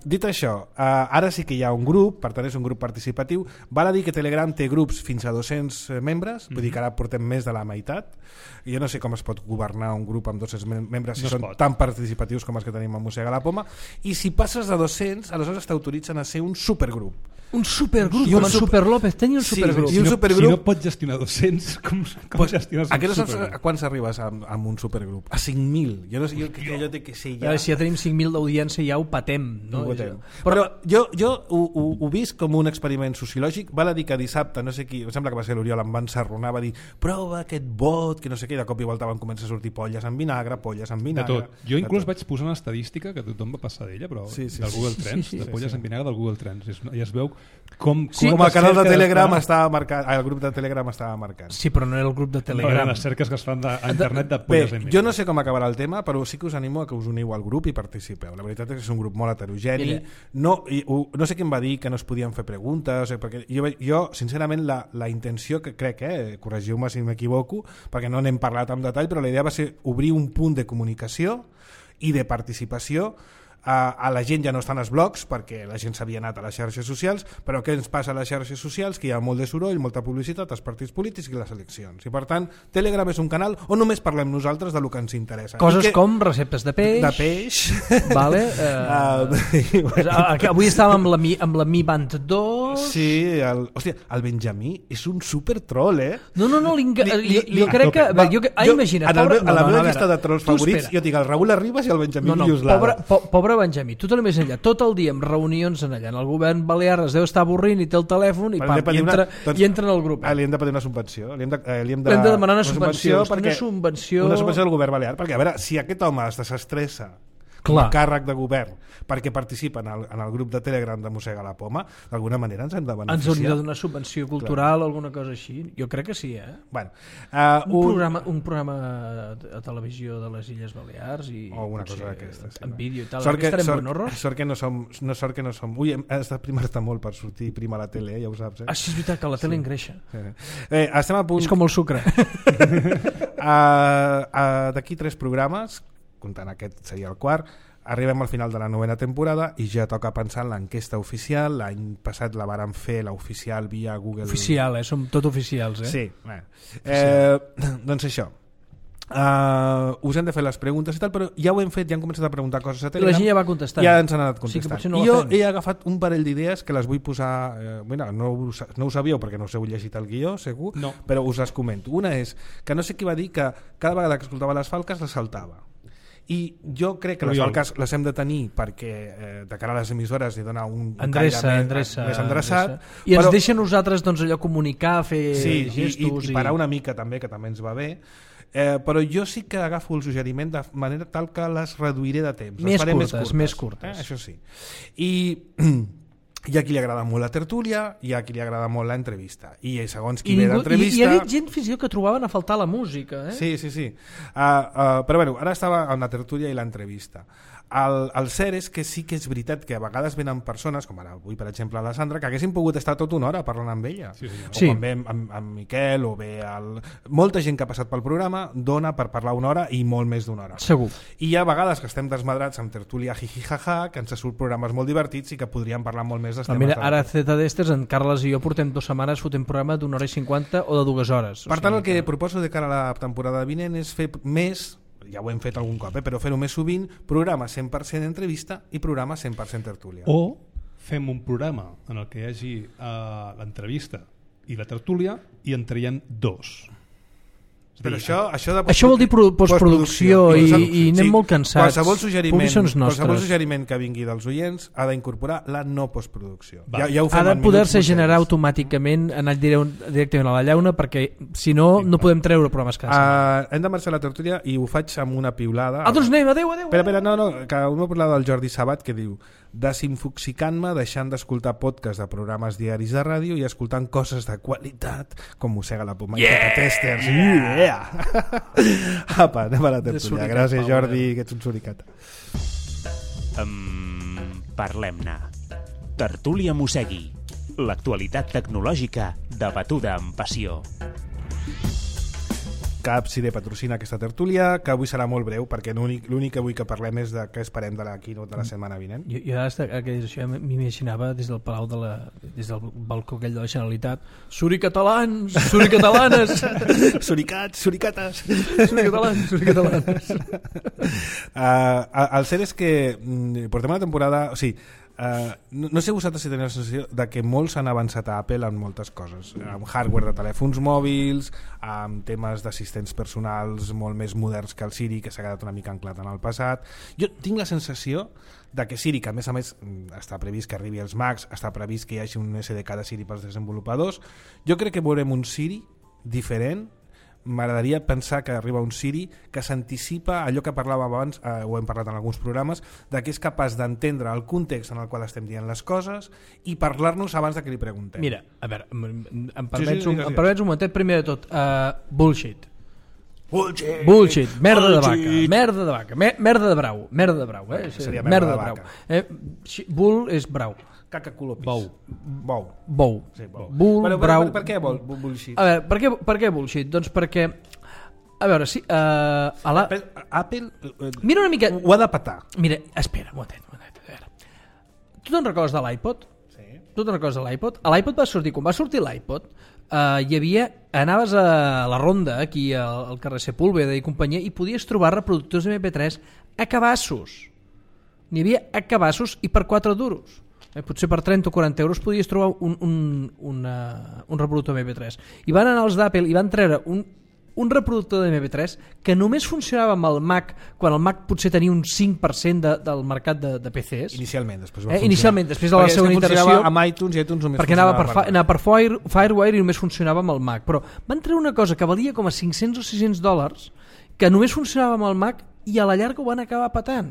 Dit això, ara sí que hi ha un grup, per tant és un grup participatiu. Val a dir que Telegram té grups fins a 200 membres, vull dir que ara portem més de la meitat. Jo no sé com es pot governar un grup amb 200 membres si són tan participatius com els que tenim a Mossega la Poma, i si passes de 200 aleshores t'autoritzen a ser un supergrup.
Un supergrup,
I
com en Super López tenia un supergrup.
I un supergrup...
Si no pots gestionar 200, com gestiones un supergrup?
A quants arribes amb un supergrup? A 5.000. Jo no sé, jo té que ser ja...
Si ja tenim 5.000 d'audiència ja ho patem. No?
Ho patem. Però jo ho visc com un experiment sociològic. Val a dir que dissabte, no sé qui, em sembla que va ser l'Oriol, em va encerronar, va dir prova aquest vot, que no sé què, i de cop i volta van començar a sortir polles amb vinagre.
De tot. Jo inclús vaig posar una estadística que tothom va passar d'ella, però del Google Trends, de polles amb vinagre del Google Trends. I es veu com
el canal de Telegram estava marcat, el grup de Telegram estava marcat.
Sí, però no era el grup de Telegram.
Eren les cerques que es fan a internet de polles amb vinagre.
Jo no sé com acabarà el tema, però sí que us animo a que us uniu al grup i participeu. La veritat és que és un grup molt heterogeni. No sé qui em va dir que no es podien fer preguntes, perquè jo sincerament, la intenció que crec, corregiu-me si m'equivoco, perquè no n'hem parlat en detall, però la idea va ser obrir un punt de comunicació i de participació. A la gent ja no estan els blogs perquè la gent s'havia anat a les xarxes socials, però què ens passa a les xarxes socials? Que hi ha molt de soroll, molta publicitat, els partits polítics i les eleccions, i per tant Telegram és un canal on només parlem nosaltres del que ens interessa.
Coses com receptes de peix, vale? Avui estàvem amb la Mi Band 2.
Sí, el Benjamí és un super troll,
No, jo crec que... Imagina't,
a la meva llista de trolls favorits jo tinc el Raül Arribas i el Benjamí Lluslada.
Pobre Benjamí, tu te l'he més enllà, tot el dia amb reunions en allà, en el govern balear es deu estar avorrint i té el telèfon i entra en el grup.
Li hem de pedir una subvenció. Li hem
de demanar una subvenció
del govern balear, perquè a veure, si aquest home es desestressa com a càrrec de govern perquè participa en el grup de Telegram de Mossega la Poma, d'alguna manera ens hem de beneficiar.
Ens hauria de donar subvenció cultural o alguna cosa així. Jo crec que sí,
Bueno,
un programa a televisió de les Illes Balears o
una cosa d'aquestes.
En vídeo i tal.
Sort que no som... Ui, has de primar-te molt per sortir prim a la tele, ja ho saps.
Això és veritat, que la tele engreixa.
Estem a punt...
És com el sucre.
D'aquí 3 programes, comptant aquest seria el quart, arribem al final de la 9ª temporada i ja toca pensar en l'enquesta oficial. L'any passat la vàrem fer, l'oficial via Google.
Oficial, som tot oficials,
Sí, doncs això. Us hem de fer les preguntes i tal, però ja ho hem fet, ja hem començat a preguntar coses a Telegram.
La gent ja va contestant.
Ja ens han anat contestant.
Sí, no
I jo he agafat un parell d'idees que les vull posar... no ho sabíeu perquè no us heu llegit el guió, segur, però us les comento. Una és que no sé qui va dir que cada vegada que escoltava les falques les saltava. I jo crec que les falques les hem de tenir perquè de cara a les emissores hi dona un
endreça
més endreçat.
I ens deixa nosaltres allò comunicar, fer gestos
i parar una mica també, que també ens va bé. Però jo sí que agafo el suggeriment de manera tal que les reduiré de temps.
Més curtes.
Això sí. I hi ha qui li agrada molt la tertúlia, hi ha qui li agrada molt l'entrevista, i segons qui ve d'entrevista...
I hi ha gent fins i tot que trobaven a faltar la música.
Sí. Però bueno, ara estava amb la tertúlia i l'entrevista. El cert és que sí que és veritat que a vegades venen persones, com ara avui per exemple la Sandra, que haguessin pogut estar tota una hora parlant amb ella, o quan ve amb Miquel o ve molta gent que ha passat pel programa dona per parlar una hora i molt més d'una hora.
Segur.
I hi ha vegades que estem desmadrats amb tertúlia jijijaja, que ens surt programes molt divertits i que podríem parlar molt més dels temes.
Mira, ara ZDestes, en Carles i jo portem 2 setmanes fotent programa d'1 hora i 50 o de 2 hores.
Per tant, el que proposo de cara a la temporada vinent és fer més, ja ho hem fet algun cop, però fer-ho més sovint, programa 100% entrevista i programa 100% tertúlia.
O fem un programa en el que hi hagi l'entrevista i la tertúlia i en traiem 2.
Però això
vol dir postproducció i anem molt cansats.
Qualsevol suggeriment que vingui dels oients ha d'incorporar la no postproducció. Ja ho fem.
Ha de poder-se generar automàticament, anar directament a la llauna, perquè si no, no podem treure programes cada setmana.
Hem de marxar a la tertúlia i ho faig amb una piulada.
Doncs anem, adéu.
Espera, no, que una piulada del Jordi Sabat que diu: desinfoxicant-me deixant d'escoltar podcast de programes diaris de ràdio i escoltant coses de qualitat com Mossega la Poma i Testers. Apa, anem a la tertúlia. Gràcies, Jordi, que ets un suricata.
Parlem-ne. Tertúlia Mossegui. L'actualitat tecnològica debatuda amb passió.
Capcide patrocina aquesta tertúlia, que avui serà molt breu, perquè l'únic que avui que parlem és de què esperem de la keynote de la setmana vinent.
Jo això m'imaginava des del palau des del balcó aquell de la Generalitat: suricatalans, suricatalanes,
suricats, suricates,
suricatalans.
El cert és que portem una temporada... O sigui, no sé vosaltres si teniu la sensació de que molts han avançat a Apple en moltes coses, amb hardware de telèfons mòbils, amb temes d'assistents personals molt més moderns que el Siri, que s'ha quedat una mica anclat en el passat. Jo tinc la sensació de que Siri, que a més està previst que arribi als Macs, està previst que hi hagi un SDK de Siri pels desenvolupadors, jo crec que veurem un Siri diferent. M'agradaria pensar que arriba un Siri que s'anticipa allò que parlàvem abans, ho hem parlat en alguns programes, de que és capaç d'entendre el context en el qual estem dient les coses i parlar-nos abans de que li preguntem.
Mira, a veure, em permets un momentet. Primer de tot, bullshit, merda de vaca, merda de brau,
seria merda de vaca.
Bull és brau,
caca color pis.
Bou.
Sí, bou.
Bull, brau.
Per què bullshit?
A veure, per què bullshit? Doncs perquè, a veure, si
Apple
mira una mica...
ho ha de petar.
Mira, espera, un moment, a veure. Tu te'n recordes de l'iPod?
Sí.
Tu te'n recordes de l'iPod? A l'iPod va sortir, quan va sortir l'iPod, hi havia, anaves a la ronda aquí al carrer Sepúlveda i companyia i podies trobar reproductors MP3 a cabassos. N'hi havia a cabassos i per 4 duros. Potser per 30 o 40 euros podies trobar un reproductor MP3. I van anar els d'Apple i van treure un reproductor de MP3 que només funcionava amb el Mac, quan el Mac potser tenia un 5% del mercat de PCs.
Inicialment, després
de la segona iteració,
amb iTunes i iTunes només
perquè anava per Firewire i només funcionava amb el Mac. Però van treure una cosa que valia com a $500 o $600 que només funcionava amb el Mac i a la llarga ho van acabar patant.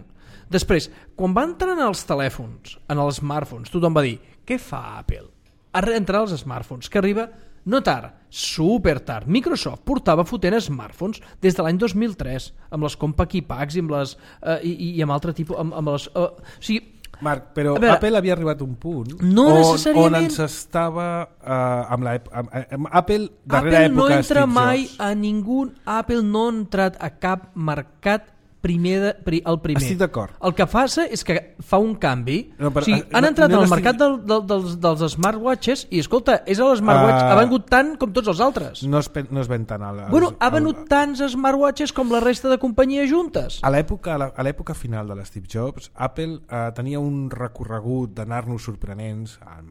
Després, quan va entrar en els telèfons, en els smartphones, tothom va dir: què fa Apple? Ha entrat als smartphones, que arriba no tard, super tard. Microsoft portava fotent smartphones des de l'any 2003, amb les Compact Packs i amb les i amb altre tipus, amb les, o sigui,
Marc, però
veure,
Apple havia arribat a un punt
on
ens estava amb Apple darrere
Apple no entra
Steve
mai
Jobs.
a ningú. Apple no ha entrat a cap mercat el primer.
Estic d'acord.
El que passa és que fa un canvi.
No, però,
o sigui, han entrat al mercat dels smartwatches i, escolta, és l'smartwatch, ha venut tant com tots els altres.
No es ven tant.
Ha venut tants smartwatches com la resta de companyies juntes.
A l'època final de l'Steve Jobs, Apple tenia un recorregut d'anar-nos sorprenents, a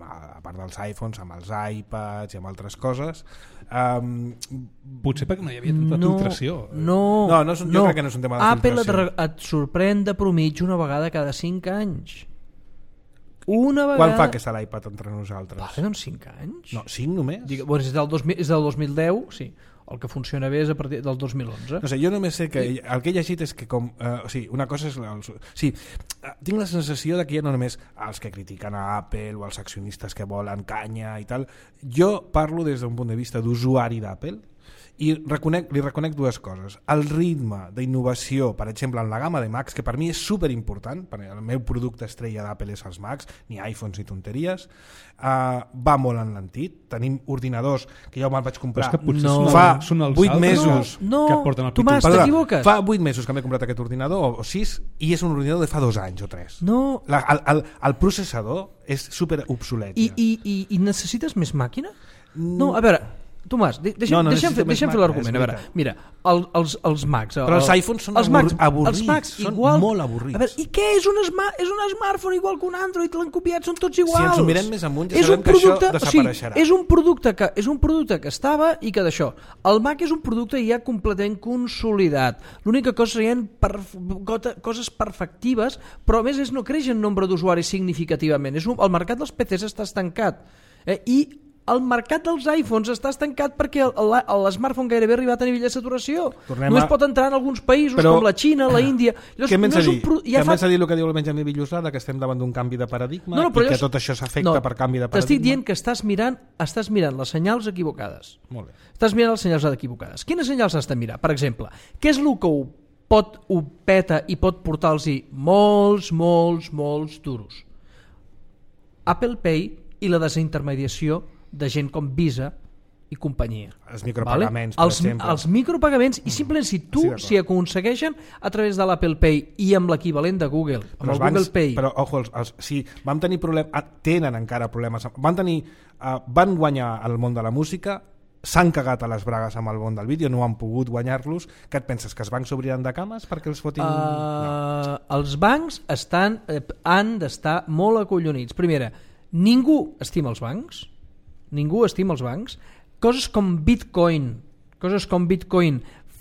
part dels iPhones, amb els iPads i amb altres coses.
Potser perquè no hi havia tanta filtració.
Jo crec que no és un tema de
Apple
filtració.
et sorprèn de promitja una vegada cada 5 anys. Una vegada...
Quan fa que està l'iPad entre nosaltres?
Vale, doncs 5 anys.
No, 5 només?
Bueno, és del 2010, sí. El que funciona bé és a partir del 2011.
No sé, jo només sé que el que he llegit és que una cosa és... tinc la sensació de que ja no només els que critiquen a Apple o els accionistes que volen canya i tal. Jo parlo des d'un punt de vista d'usuari d'Apple i li reconec dues coses. El ritme d'innovació, per exemple, en la gamma de Macs, que per mi és superimportant, perquè el meu producte estrella d'Apple és els Macs, ni iPhones ni tonteries, va molt enlentit. Tenim ordinadors que jo me'l vaig comprar fa 8 mesos.
Que porten el Tomàs, t'equivoques.
Fa 8 mesos que m'he comprat aquest ordinador, o 6, i és un ordinador de fa 2 anys o 3.
No.
El processador és super obsolet.
I necessites més màquina? No, a veure... Tomàs, deixa'm fer l'argument. A veure, mira, els Macs...
Però els iPhones són avorrits, són molt avorrits.
A veure, i què és un smartphone igual que un Android? L'han copiat, són tots iguals.
Si ens ho mirem més amunt ja sabem que això desapareixerà.
És un producte que estava i que d'això. El Mac és un producte ja completament consolidat. L'única cosa serien coses perfectives, però a més no creix en nombre d'usuaris significativament. El mercat dels PCs està estancat. I el mercat dels iPhones està estancat perquè l'smartphone gairebé ha arribat a nivell de saturació. Només pot entrar en alguns països com la Xina, la Índia.
Què m'has de dir? Què m'has de dir el que diu el Benjamí Villusada, que estem davant d'un canvi de paradigma i que tot això s'afecta per canvi de paradigma?
T'estic dient que estàs mirant les senyals equivocades.
Molt bé.
Estàs mirant les senyals equivocades. Quines senyals has de mirar? Per exemple, què és el que ho peta i pot portar-los molts duros? Apple Pay i la desintermediació de gent com Visa i companyia.
Els micropagaments, per exemple.
Els micropagaments, i simplement si aconsegueixen a través de l'Apple Pay i amb l'equivalent de Google, amb el Google Pay...
Però, ojo, si vam tenir problemes, tenen encara problemes, van guanyar el món de la música, s'han cagat a les bragues amb el món del vídeo, no han pogut guanyar-los. Què et penses, que els bancs s'obriran de cames perquè els fotin... No.
Els bancs han d'estar molt acollonits. Primera, ningú estima els bancs. Coses com Bitcoin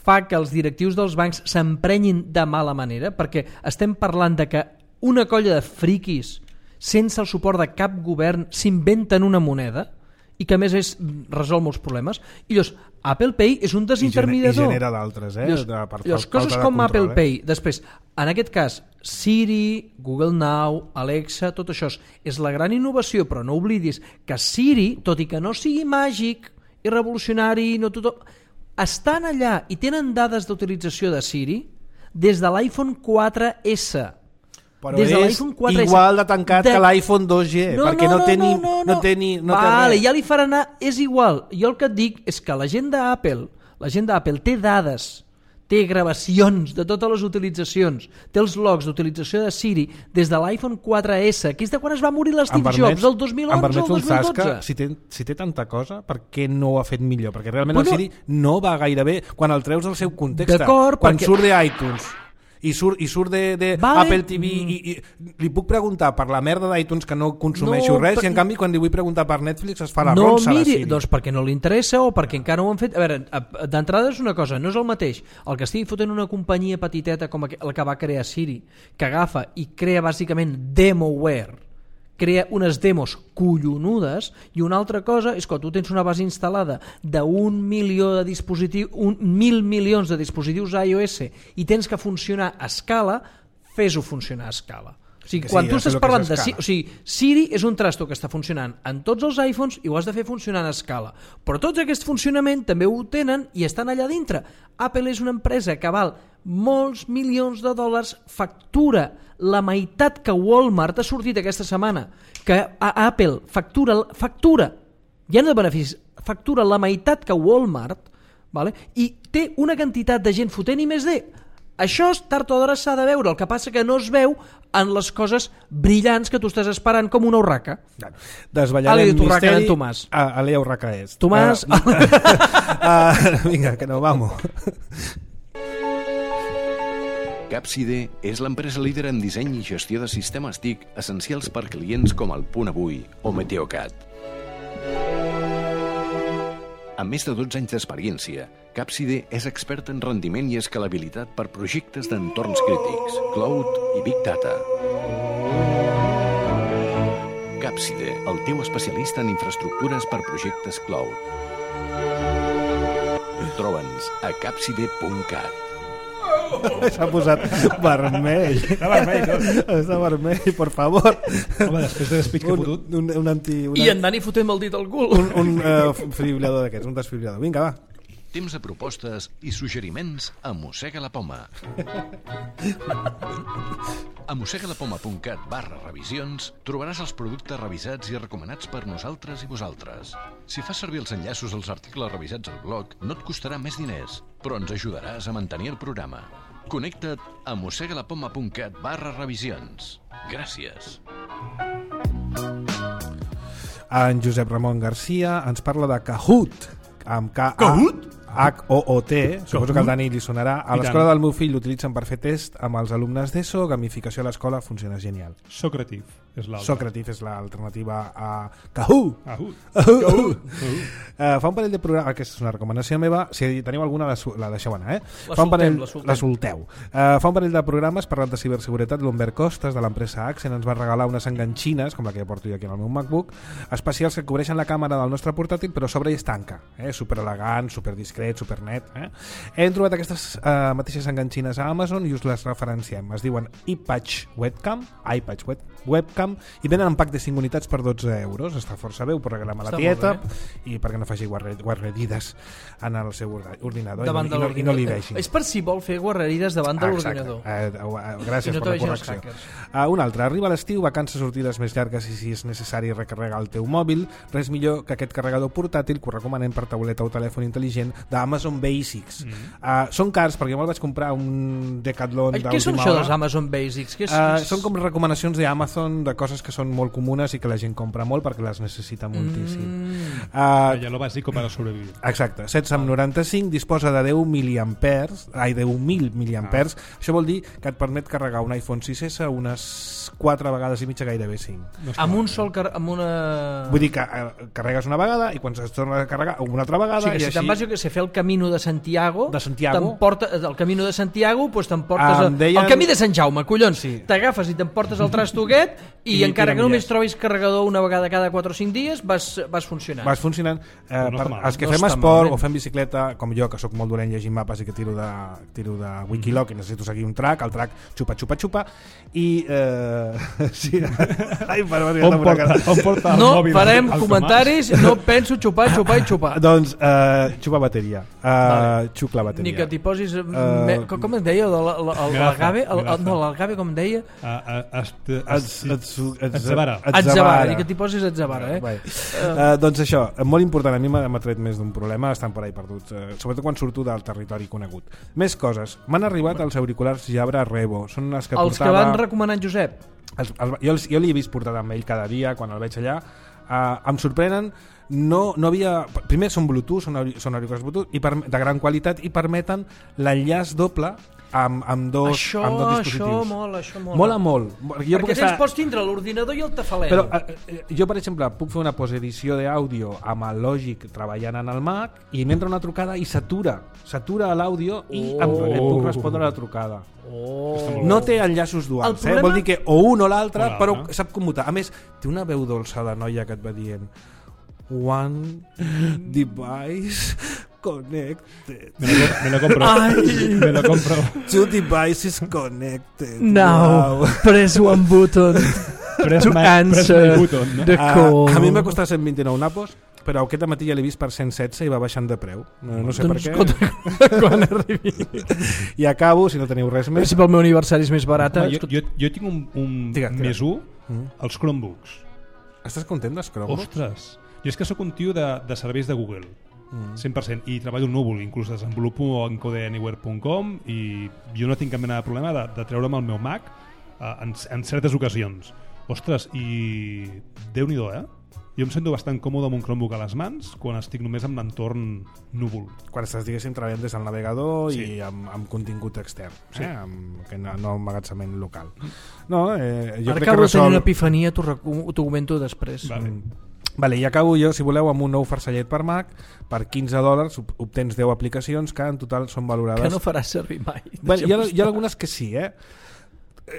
fa que els directius dels bancs s'emprenyin de mala manera, perquè estem parlant de que una colla de friquis sense el suport de cap govern s'inventen una moneda i que a més resol molts problemes. I llavors Apple Pay és un desintermediador.
I genera d'altres,
Llavors coses com Apple Pay. Després, en aquest cas, Siri, Google Now, Alexa, tot això és la gran innovació, però no oblidis que Siri, tot i que no sigui màgic i revolucionari, no tothom, estan allà i tenen dades d'utilització de Siri des de l'iPhone 4S.
Però és igual de tancat que l'iPhone 2G, perquè no té res.
Ja li farà anar, és igual. Jo el que et dic és que la gent d'Apple té dades, té gravacions de totes les utilitzacions, té els logs d'utilització de Siri des de l'iPhone 4S, que és de quan es va morir l'Steve Jobs, el 2011 o el 2012.
Si té tanta cosa, per què no ho ha fet millor? Perquè realment el Siri no va gaire bé quan el treus del seu context. Quan surt d'iTunes i surt de Apple TV i li puc preguntar per la merda d'iTunes que no consumeixo res i en canvi quan li vull preguntar per Netflix es fa la ronça a la Siri.
Doncs perquè no li interessa o perquè encara no ho han fet. A veure, d'entrada és una cosa, no és el mateix el que estigui fotent una companyia petiteta com la que va crear Siri, que agafa i crea bàsicament demoware, crea unes demos collonudes, i una altra cosa és que tu tens una base instal·lada d'1 milió de dispositius, 1.000 milions de dispositius iOS i tens que funcionar a escala, fes-ho funcionar a escala. O sigui, quan tu estàs parlant de... O sigui, Siri és un trasto que està funcionant en tots els iPhones i ho has de fer funcionar a escala. Però tots aquest funcionament també ho tenen i estan allà dintre. Apple és una empresa que val molts milions de dòlars, factura la meitat que Walmart ha sortit aquesta setmana, que a Apple factura ja no de beneficis, factura la meitat que Walmart, vale? I té una quantitat de gent fotent i més de... Això tard o d'hora s'ha de veure, el que passa que no es veu en les coses brillants que tu estàs esperant com una urraca.
Desvetllarem misteri.
Alea
urraca és.
Tomàs.
Vinga, que no, vamos.
Capside és l'empresa líder en disseny i gestió de sistemes TIC essencials per clients com el Punt Avui o Meteocat. Amb més de 12 anys d'experiència, Capside és expert en rendiment i escalabilitat per projectes d'entorns crítics, cloud i big data. Capside, el teu especialista en infraestructures per projectes cloud. Troba'ns a capside.cat.
S'ha posat vermell. Està vermell, per favor.
Home, després de despit que he fotut.
I en Dani fotem el dit al cul.
Un fibrilador d'aquests, un desfibrilador. Vinga, va.
Temps de propostes i suggeriments a Mossega la Poma. A mossegalapoma.cat/revisions trobaràs els productes revisats i recomanats per nosaltres i vosaltres. Si fas servir els enllaços als articles revisats al blog, no et costarà més diners, però ens ajudaràs a mantenir el programa. Connecta't a mossegalapoma.cat/revisions. Gràcies.
En Josep Ramon Garcia ens parla de Kahoot. amb K-A-H-O-O-T, suposo que al Dani li sonarà. A l'escola del meu fill l'utilitzen per fer test amb els alumnes d'ESO, gamificació a l'escola funciona genial.
Socrative és l'altre.
Socrative és l'alternativa a Kahoot. Fa un parell de programes, aquesta és una recomanació meva, si teniu alguna la deixeu anar, la solteu. Fa un parell de programes parlant de ciberseguretat, l'Humbert Costas de l'empresa Accent ens va regalar unes enganxines, com la que porto jo aquí en el meu MacBook, especials que cobreixen la càmera del nostre portàtil però sobre i es tanca, super elegant, super discret, super net. Hem trobat aquestes mateixes enganxines a Amazon i us les referenciem, es diuen iPatch Webcam i venen en pack de 5 unitats per 12 euros. Està força bé, ho pot regalar a la tieta i perquè no faci guarrerides en el seu ordinador i no li vegi.
És per si vol fer guarrerides davant de l'ordinador.
Gràcies per la correcció. Un altre, arriba l'estiu, vacances, sortides més llargues i si és necessari recarregar el teu mòbil, res millor que aquest carregador portàtil que ho recomanem per tauleta o telèfon intel·ligent d'Amazon Basics. Són cars perquè me'l vaig comprar un Decathlon d'última hora.
Què són això dels Amazon Basics?
Són com recomanacions d'Amazon de coses que són molt comunes i que la gent compra molt perquè les necessita moltíssim.
Ja lo bàsic per a sobrevivir.
Exacte, 1695, disposa de 10.000 miliamperes. Això vol dir que et permet carregar un iPhone 6S unes 4 vegades i mitja, gairebé 5.
Amb un sol
Vull dir que carregues una vegada i quan es torna a carregar una altra vegada.
O sigui que si te'n vas a fer el Camino de Santiago, el Camino de Santiago, doncs t'emportes el Camí de Sant Jaume, collons, t'agafes i t'emportes el trastoguet i encara que només trobis carregador una vegada cada 4 o 5 dies vas funcionant.
Vas funcionant. Els que fem esport o fem bicicleta, com jo, que sóc molt dolent llegint mapes i que tiro de Wikiloc i necessito seguir un track, el track xupa i sí.
On porta el
no
mòbil?
No farem comentaris, no penso xupar.
Doncs xupa bateria, xuc la bateria.
Ni que t'hi posis com es deia l'agave, com deia Atzavara, i que t'hi posis Atzavara,
doncs això, molt important, a mi m'ha tret més d'un problema, estan per ahí perduts, sobretot quan surto del territori conegut. Més coses, m'han arribat els auriculars Jabra Revo, són els que
que van recomanar en Josep.
Jo li he vist portar amb ell cada dia quan el veig allà. Em sorprenen, no havia... Primer són Bluetooth, són auriculars Bluetooth de gran qualitat i permeten l'enllaç doble amb dos dispositius.
Això
mola molt.
Perquè tens pots tindre l'ordinador i el tafalet.
Però jo, per exemple, puc fer una postedició d'àudio amb el Logic treballant en el Mac i m'entra una trucada i s'atura l'àudio i em puc respondre a la trucada. No té enllaços duals, vol dir que o un o l'altre, però sap commutar. A més, té una veu dolça de noia que et va dient one device connected.
Me lo compro.
Two devices connected.
Now, press one button to answer the call.
A mi m'ha costat 129 napos, però aquest matí ja l'he vist per 116 i va baixant de preu. No sé per què.
Quan arribi.
I acabo, si no teniu res més.
Si pel meu aniversari és més barat.
Jo tinc un més 1, els Chromebooks.
Estàs content dels Chromebooks?
Ostres, jo és que sóc un tio de serveis de Google. 100%, i treballo en núvol, inclús desenvolupo en codeanywhere.com i jo no tinc cap mena de problema de treure'm el meu Mac en certes ocasions. Ostres, i Déu-n'hi-do, Jo em sento bastant còmode amb un Chromebook a les mans quan estic només amb l'entorn núvol.
Quan estàs, diguéssim, treballant des del navegador i amb contingut extern, que no emmagatzement local.
Ara acabo de tenir una epifania, t'ho comento després.
Vale, i acabo jo, si voleu, amb un nou farcellet per Mac. Per $15 obtens 10 aplicacions que en total són valorades...
Que no faràs servir mai.
Hi ha algunes que sí,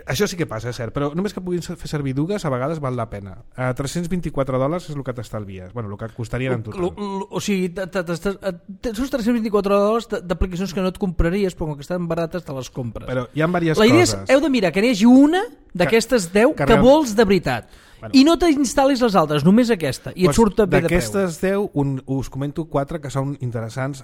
Això sí que passa, és cert, però només que puguin fer servir dues a vegades val la pena. $324 és el que t'estalvies, el que et costaria en total.
O sigui, tens uns $324 d'aplicacions que no et compraries, però com que estan barates te les compres.
Però hi ha diverses coses.
La idea és, heu de mirar que n'hi hagi una d'aquestes 10 que vols de veritat. I no t'instal·lis les altres, només aquesta, i et surt bé de preu.
D'aquestes 10 us comento 4 que són interessants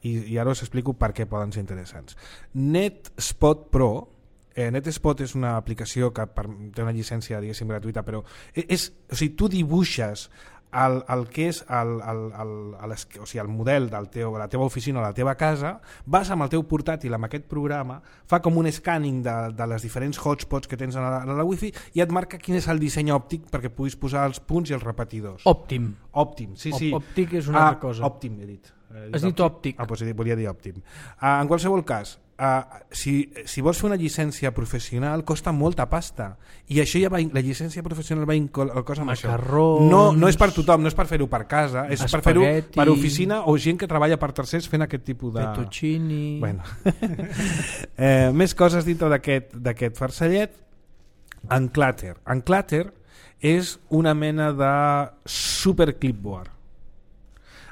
i ara us explico per què poden ser interessants. NetSpot Pro. NetSpot és una aplicació que té una llicència, diguéssim, gratuïta, però o sigui, tu dibuixes el que és el model de la teva oficina o la teva casa, vas amb el teu portàtil amb aquest programa, fa com un scanning de les diferents hotspots que tens a la wifi i et marca quin és el disseny òptic perquè puguis posar els punts i els repetidors.
Òptim,
sí.
Òptic és una altra cosa.
Òptim, he dit.
Has dit òptic.
Doncs volia dir òptim. En qualsevol cas, si vols fer una llicència professional costa molta pasta i això ja va, la llicència professional va el cosa amb
macarrons,
això. No és per tothom, no és per fer-ho per casa, és per fer-ho per oficina o gent que treballa per tercers fent aquest tipus de...
Fettuccini...
Bueno. Més coses dintre d'aquest farcellet. Unclutter. Unclutter és una mena de super clipboard.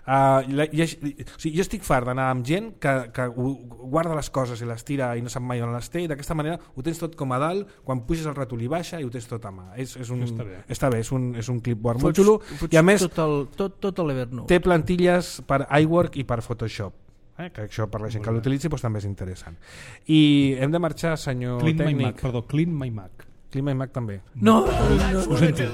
Jo estic fart d'anar amb gent que guarda les coses i les tira i no sap mai on les té, i d'aquesta manera ho tens tot com a dalt, quan puges el ratolí baixa i ho tens tot a mà. Està bé, és un clipboard molt xulo i a més
tot l'Evernote
té plantilles per iWork i per Photoshop, que això per la gent que l'utilitzi doncs també és interessant. I hem de marxar, senyor tècnic.
Clean My Mac.
Clean My Mac també.
No.
Ho sento.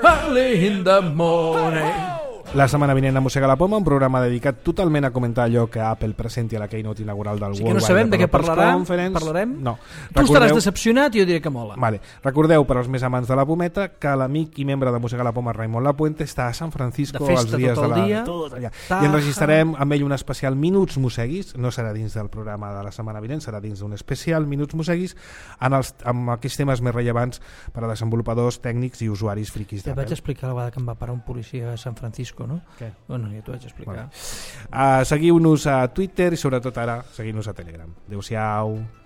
Early in the morning.
La setmana vinent a Mossega la Poma, un programa dedicat totalment a comentar allò que Apple presenti a la keynote inaugural del World
Wide Developers Conference. No sabem de què parlarem?
No.
Tu estaràs decepcionat i jo diré que mola.
Vale. Recordeu, per als més amants de la pometa, que l'amic i membre de Mossega la Poma, Raimon Lapuente, està a San Francisco els dies de la... I enregistrarem amb ell un especial Minuts Mosseguis, no serà dins del programa de la setmana vinent, serà dins d'un especial Minuts Mosseguis amb aquells temes més rellevants per a desenvolupadors, tècnics i usuaris friquis d'Apple.
Ja vaig explicar la vegada que em va parar un policia a San Francisco, no?
Què?
Bueno, ja t'ho vaig explicar.
Seguiu-nos a Twitter i sobretot ara seguiu-nos a Telegram. Adéu-siau.